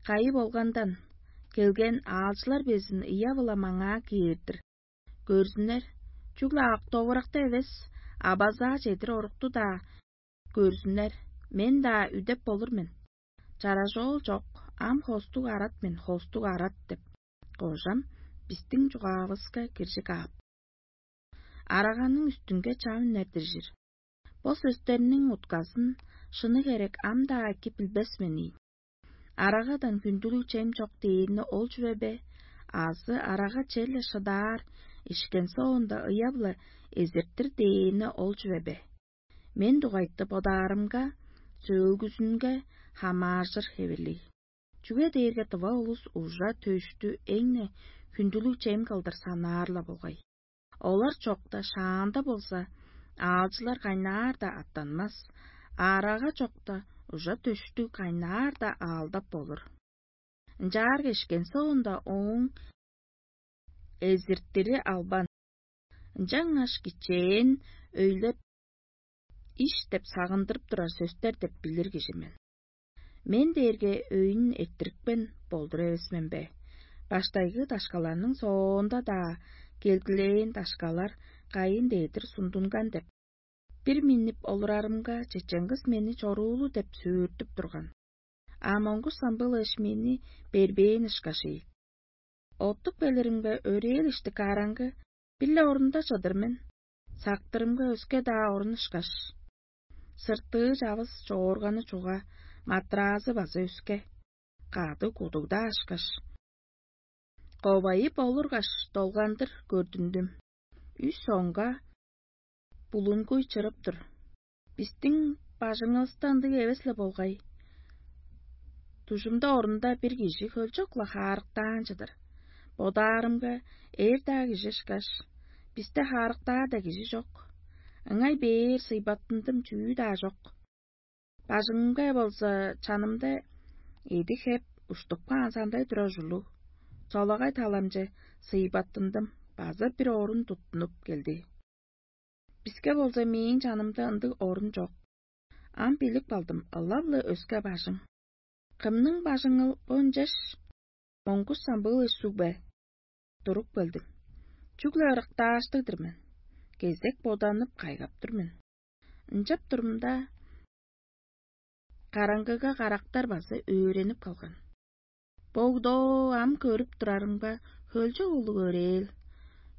кайы болгандан келген аалчылар безин ыяа-биле маңаа кээр-дир. Көрзүннер, чүгле ак довуракта эвес, а базаа чедир орукту-даа көрзүннер, мен-даа үдеп болур мен. Чаражоол чок, ам хостуг арат мен, хостуг арат деп, кожам бистиң чугаавыска киржиг аап. Араганың үстүнге чам үнер-дир чир. Бо сөстерниң утказын шыны херек ам-даа эки билбес мен ийин. Арагадан хүндүлүг чем чок дээрни ол чүве бе, азы арага черле шыдаар, ишкен соонда ыяп-ла эзиртир дээни ол чүве бе? Мен дугайты бодаарымга, сөөлгүзүнге хамааржыр хевирлиг. Чүге дээрге дыва улус ужа-төштү эң-не хүндүлүг чем кылдыр санаар-ла болгай. Олар чокта шаанда болза, аалчылар кайнаар-даа аттанмас, аарага чокта ужа-төштүг кайнаар-даа аалдап болур. Ынчаар кешкен соонда, ооң эзиртири албан, ынчангаш кичээн өйлеп, иш деп сагындырып турар сөстер деп билир кижи мен. Мен дээрге өйүн эрттирипкен болдур эвес мен бе? Баштайгы дашкаларның соонда-даа келгилээн дашкалар кайын дээдир сундунган деп. Бир миннип олурарымга, чечен кыс мени чоруулу деп сөөртүп турган. А моңгуш самбыл эш мени бербээн ышкаш ийик. Оттуп келиримге, өрээл ишти караңгы, бир-ле орунда чыдыр мен. Сактырымга, өске-даа орун ышкаш. Сыртыы чавыс чоорганы чуга, матраазы база өске. Кады кудугда ашкаш, ковайып олургаш, долгандыр көрдүндүм. Үс соңга булунгуй чырып тур. Бистиң бажыңывыста ындыг эвес-ле болгай. Дужумда орунда бир кижи хөлчок-ла хаарыктаан чыдыр. Бодаарымга, эр-даа кижи ышкаш, бисте хаарыктаар-даа кижи чок. Ыңай бээр сыйбаттындым чүү-даа чок. Бажыңымга болза, чанымда эди хеп уштуп каан сандай турар ужурлуг. Солагай таламче сыйбаттындым, база бир орун туттунуп келди. Биске болза, мээң чанымда ындыг орун чок. Ам билип калдым, ылап-ла өске бажың. Кымның бажыңыл бо ынчаш моңгуш самбыыл ышсуг бе? Туруп келдим. Чүгле ырыктааштыг-дыр мен. Кезек боданып, кайгап тур мен. Ынчап турумда, караңгыга карактар база өөренип калган. Богдоо, ам көрүп турарымга, хөлчок улуг өрээл.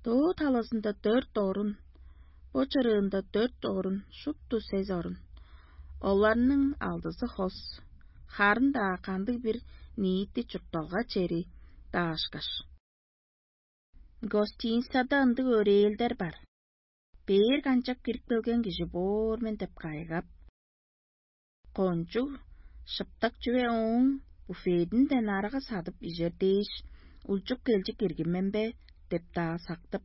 Доо талазында дөрт орун, бо чырыында дөрт орун, шупту сес орун. Оларның алдызы хос, харын-даа кандыг-бир ниити чуртталга чери даашкаш. Гостиницада ындыг өрээлдер бар. Бээр канчап кирип келген кижи боор мен деп кайгап, кончуг шыптак чүве ооң буфединден арага садып ижер дээш, улчуп келчи киргин мен бе деп-даа сактып,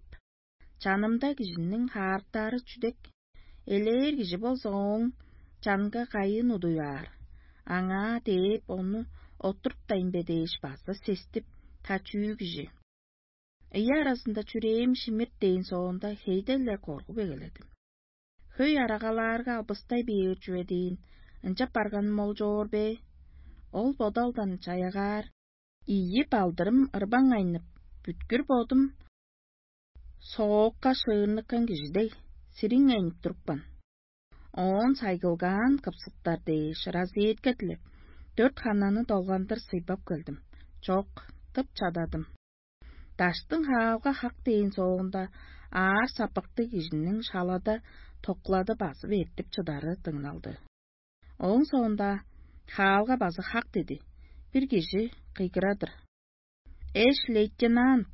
чанымда кижиниң хаарыктаары чүдек, элээр кижи болза, ооң чанынга кайыын удуй аар, аңаа дээп, ону оттуруптайн бе дээш база сестип, та чүү кижи. Ийи аразында чүрээм шимирт дээн соонда, хейден-ле коргуп эгеледим. Хөй арагалаарга албыстай бээр чүве дээн, ынчап барганым ол чоор бе? Ол бодалдан чаягаар ийи балдырым ырбаңайнып, бүткүр бодум соокка шыырныккан кижи дег, сириңейнип турупкан. Оон сайгылгаан кыпсыптар дээш разъедка дилеп, дөрт хананы долгандыр сыйбап келдим. Чок, тып чададым. Даштың хаалга хак дээн соонда, аар сапыктыг кижиниң шалада токлады базып эртип чыдары дыңналды. Ооң соонда хаалга база хак диди. Бир кижи кыйгырадыр: «Эш-лейтенант!»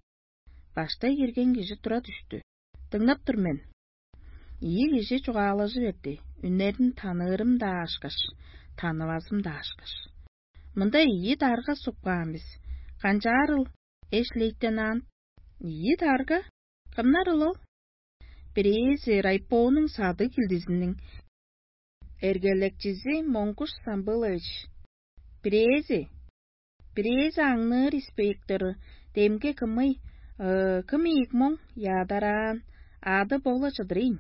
Баштай кирген кижи тура дүштү. «Дыңнап тур мен». Ийи кижи чугаалажы берди, үннерин таныырым-даа ашкаш, танывазым-даа ашкаш. «Мында ийи дарга суп каан бис. Канчаарыл, эш-лейтенант?» «Ийи дарга? Кымнарыл ол?» «Бирээзи райпонуң садыг килдизиниң эргелекчизи Монгуш Самбылович. Бирээзи, бирээзи аңныыр инспектору, демги кымый, э, кым ийик моң яадараан, ады бо-ла чыдырыйн».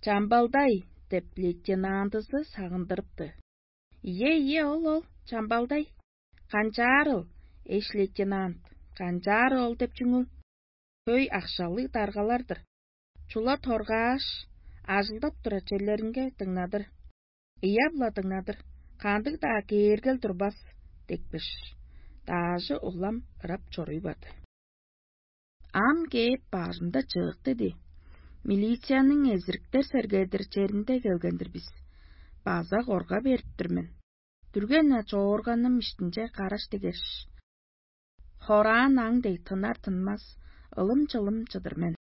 «Чамбалдай» деп лейтенантызы сагындырыпты. «Ийе, ийе, ол, ол, Чамбалдай». «Канчаарыл, эш-лейтенант, канчаарыл ол деп чүңүл? Хөй акшалыг даргалар-дыр. Чула торгааш, ажылдап турар черлеринге дыңнадыр. Ыяп-ла дыңнадыр, кандыг-даа кээргел турбас» — дикпиш. Даажы улам ырап чоруй барды. Ам кээп баарымда чыык диди. Милицияның эзириктер сергедир черинде келген-дир бис. База корга берип тур мен. Дүрген-на чоорганым иштинче караш дигеш, Хораан аң дег тынар-тынмас, ылым-чылым чыдыр мен.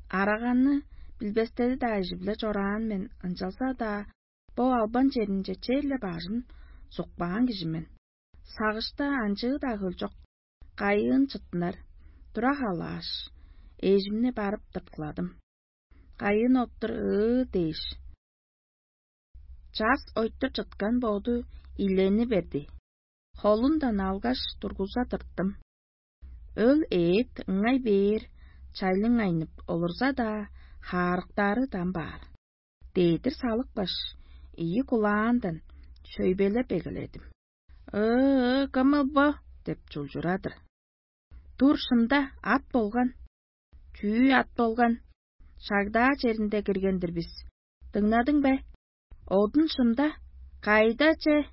Араганы билбестери-даа ижи-биле чораан мен, ынчалза-даа бо албан черинче черле бажын сукпаан кижи мен. Сагышта анчыы-даа хөлчок, кайыын чыттынар, тура халааш, эжимни барып тырткыладым. Кайыын оттур ыы дээш, час ойтур чыткан боду илени берди. Холундан алгаш, тургуза тырттым. Өл эът ыңай бээр чайлыңайнып олурза-даа, хаарыктаары дам баар. Дедир салыпкаш, ийи кулаандан шөйбелеп эгеледим. «Ыы, кымыл бо?» — деп чулчурадыр. «Тур шында, ат болган». «Чүү ат болган? Шагдаа черинде кирген-дир бис. Дыңнадың бе? Одун шында. Кайда че?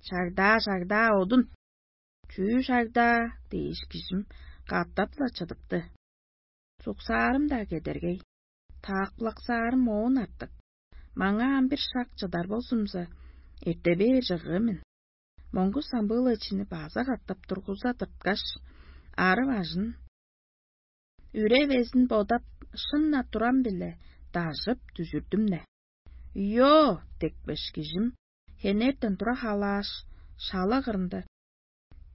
Шагдаа, шагдаа, одун. Чүү шагдаа?» — дээш, кижим катап-ла чыдыпты. Суксаарым-даа кедергей, таакпылаксаарым оон артык. Маңаа ам бир шак чыдар болзумза, эрте бээр чыгыы мен. Монгуш самбыылачыны база катап тургуза тырткаш, ары бажын, үре безин бодап, шын-на турам-биле дажып дүжүрдүм-не. «Йо!» — декпеш, кижим хенертен тура халааш, шала кырында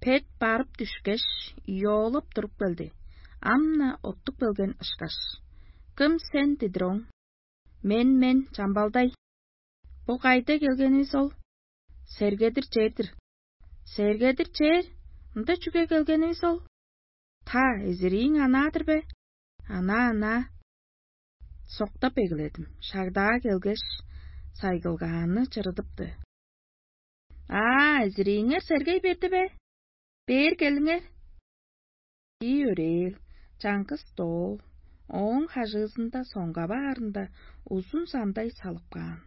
пет барып дүшкеш, йоолап туруп келди. Ам-на оттуп келген ышкаш: «Кым сен?» — дидир ооң. «Мен, мен, Чамбалдай». «Бо кайда келгенивис ол?» «Сергедир чер-дир». «Сергедир чер? Ында чүге келгенивис ол?» «Та, эзирииң анаа-дыр бе?» «Анаа, анаа». Соктап эгеледим. Шагдаа келгеш, сайгылгааны чырыдыпты. «Аа, эзирииңер сергей берди бе? Бээр келиңер». Ийи өрээл, чаңгыс доол, ооң хажыызында соңга баарында узун самдай салып каан.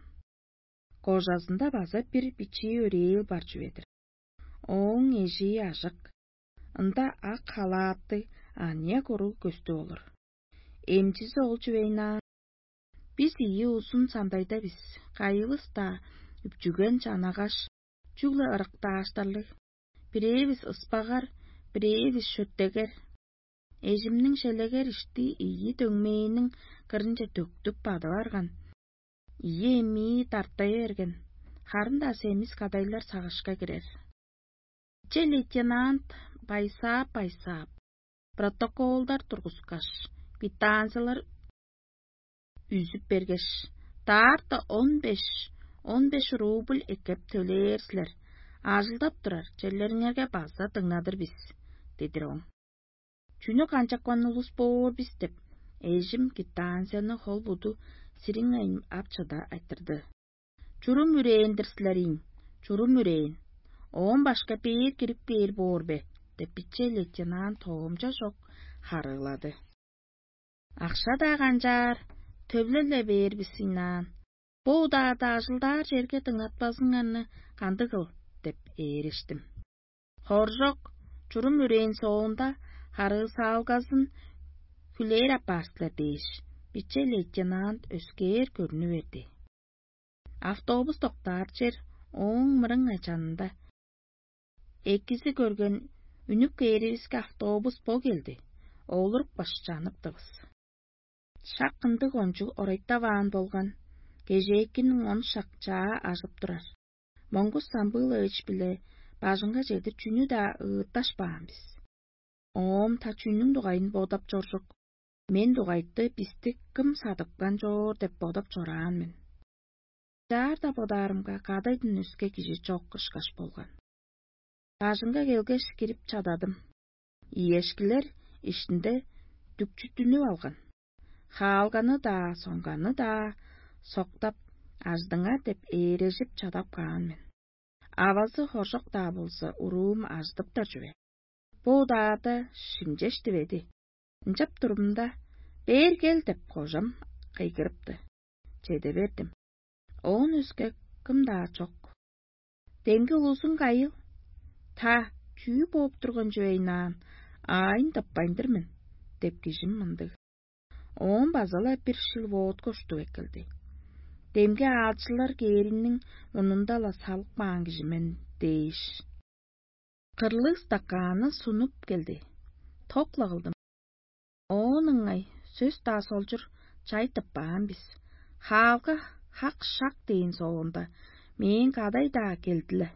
Кожазында база бир бичии өрээл бар чүве-дир. Ооң эжии ажык, ында ак халааттыг аныяк уруг көстүп олур. Эмчизи ол чүвейн аан: «Бис ийи узун сандайда бис, кайывыс-даа үпчүген чанагаш, чүгле ырыктааштарлыг. Бирээвис ыспагар, бирээвис шөттегер. Эжимниң шелегер ишти ийи дөңмээниң кырынче төктүп бадып арган, ийи эмии дартай берген, харын-даа семис кадайлар сагышка кирер». Че лейтенант байсаап-байсаап, протоколдар тургускаш, квитанциялар үзүп бергеш: «Даарта он беш, он беш рубль эккеп төлээр силер. Ажылдап турар черлериңерге база дыңнадыр бис», — дедир ооң. «Чүнү канчапкан улус боор бис?» — деп, эжим квитанцияны хол-буду сириңейн ап чыда айтырды. «Чурум үрээн-дир силер ийин, чурум үрээн. Оон башка бээр кирип кээр боор бе?» — деп, биче лейтенант тоомча чок харыылады. «Акша-даа канчаар, төвлел-ле бээр бис ыйнаан. Бо удаада ажылдаар черге дыңнатпазыңарны кандыг кыл?» — деп ээрештим. «Хоржок, чурум үрээн соонда харыысаалгазын хүлээр апаар силер» — дээш, биче лейтенант өскээр көрнү берди. Автобус доктаар чер ооң мырыңай чанында. Экизи көрген: «Үнүп кээривиске автобус бо келди, олурупкаш чаныптывыс». Шак ындыг кончуг орайтаваан болган, кежээкиниң он шак чаа ажып турар. Монгуш Самбыылович-биле бажыңга чедир чүнү-даа ыытташпаан бис. Оом та чүнүң дугайын бодап чоржук, мен дугайты бисти кым садыпкан чоор деп бодап чораан мен. Чаар-даа бодаарымга, кадайдан өске кижи чок ышкаш болган. Бажыңга келгеш, кирип чададым. Иешкилер иштинде дүкчүттүнүп алган. Хаалганы-даа, соңганы-даа соктап, аждыңар деп ээрежип чадап каан мен. Авазы хоржок-даа болза, уруум ажыдыптар чүве. Бо удаада шимчеш диведи. Ынчап турумда: «Бээр кел!» — деп, кожам кыйгырыпты. Чеде бердим. Оон өске кым-даа чок. «Демги улузуң кайыл?» «Та, чүү бооп турган чүвейн аан, аайын тыппайн-дыр мен» — деп, кижим мындыг. Оон база-ла бир шил водка уштуп эккелди. «Демги аалчылар кээриниң мурнунда-ла салып каан кижи мен» — дээш. Кырлыг стакааны сунуп келди. Ток-ла кылдым. Оон ыңай сөс-даа солчур чай тыппаан бис. Хаалга хак-шак дээн соонда, мээң кадай-даа келди-ле.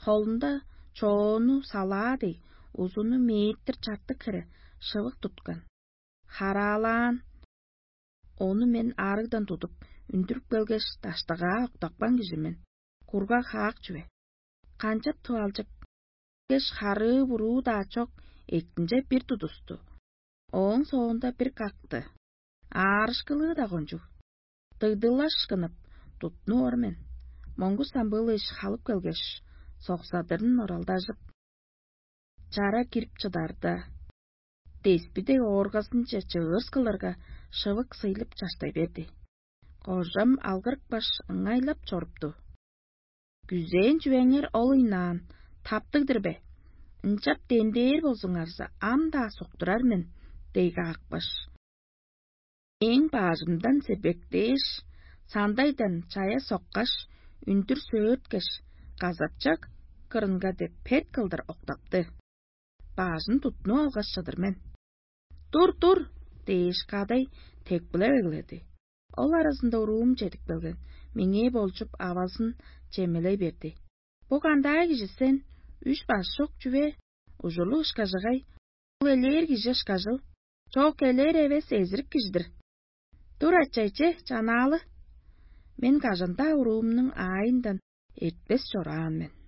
Холунда чоону салаа дег, узуну метр чартык хире шывык туткан. Хараалаан. Ону мен аарыгдан тудуп, үндүрүп келгеш, даштыгаа октапкан кижи мен. Кургаг хаак чүве. Канчап тывалчык? Кеш харыы-буруу-даа чок, эктинче бир тудусту. Ооң соонда бир какты. Аарышкылыы-даа кончуг. Дыгдылашкынып, туттунуп ор мен. Моңгу самбыылыш халып келгеш, соксадырын оралдажып, чара кирип чыдарда, деспи дег ооргазынче чыырс кылырга, шывык сыйлып чаштай берди. Кожам алгырыпкаш, ыңайлап чорупту. Күзээн чүвеңер ол ыйнаан, таптыг-дыр бе? Ынчап дендээр болзуңарза, ам-даа суктурар мен, дег аапкаш. Эң баажымдан себектээш, сандайдан чая соккаш, үндүр сөөрткеш, казапчак кырынга деп пет кылдыр октапты. Баажын туттунуп алгаш чыдыр мен. «Тур, тур!» — дээш, кадай тепкилеп эгеледи. Ол аразында уруум чедип келген, меңээ болчуп, авазын чемелей берди. «Бо кандаа кижи сен? Үш баш чок чүве, ужурлуг ышкажыгай. Ол элээр кижи ышкажыл. Чок, элээр эвес, эзирик кижи-дир. Тур, ачайче, чанаалы. Мен кажан-даа уруумнуң аайындан эртпес чораан мен».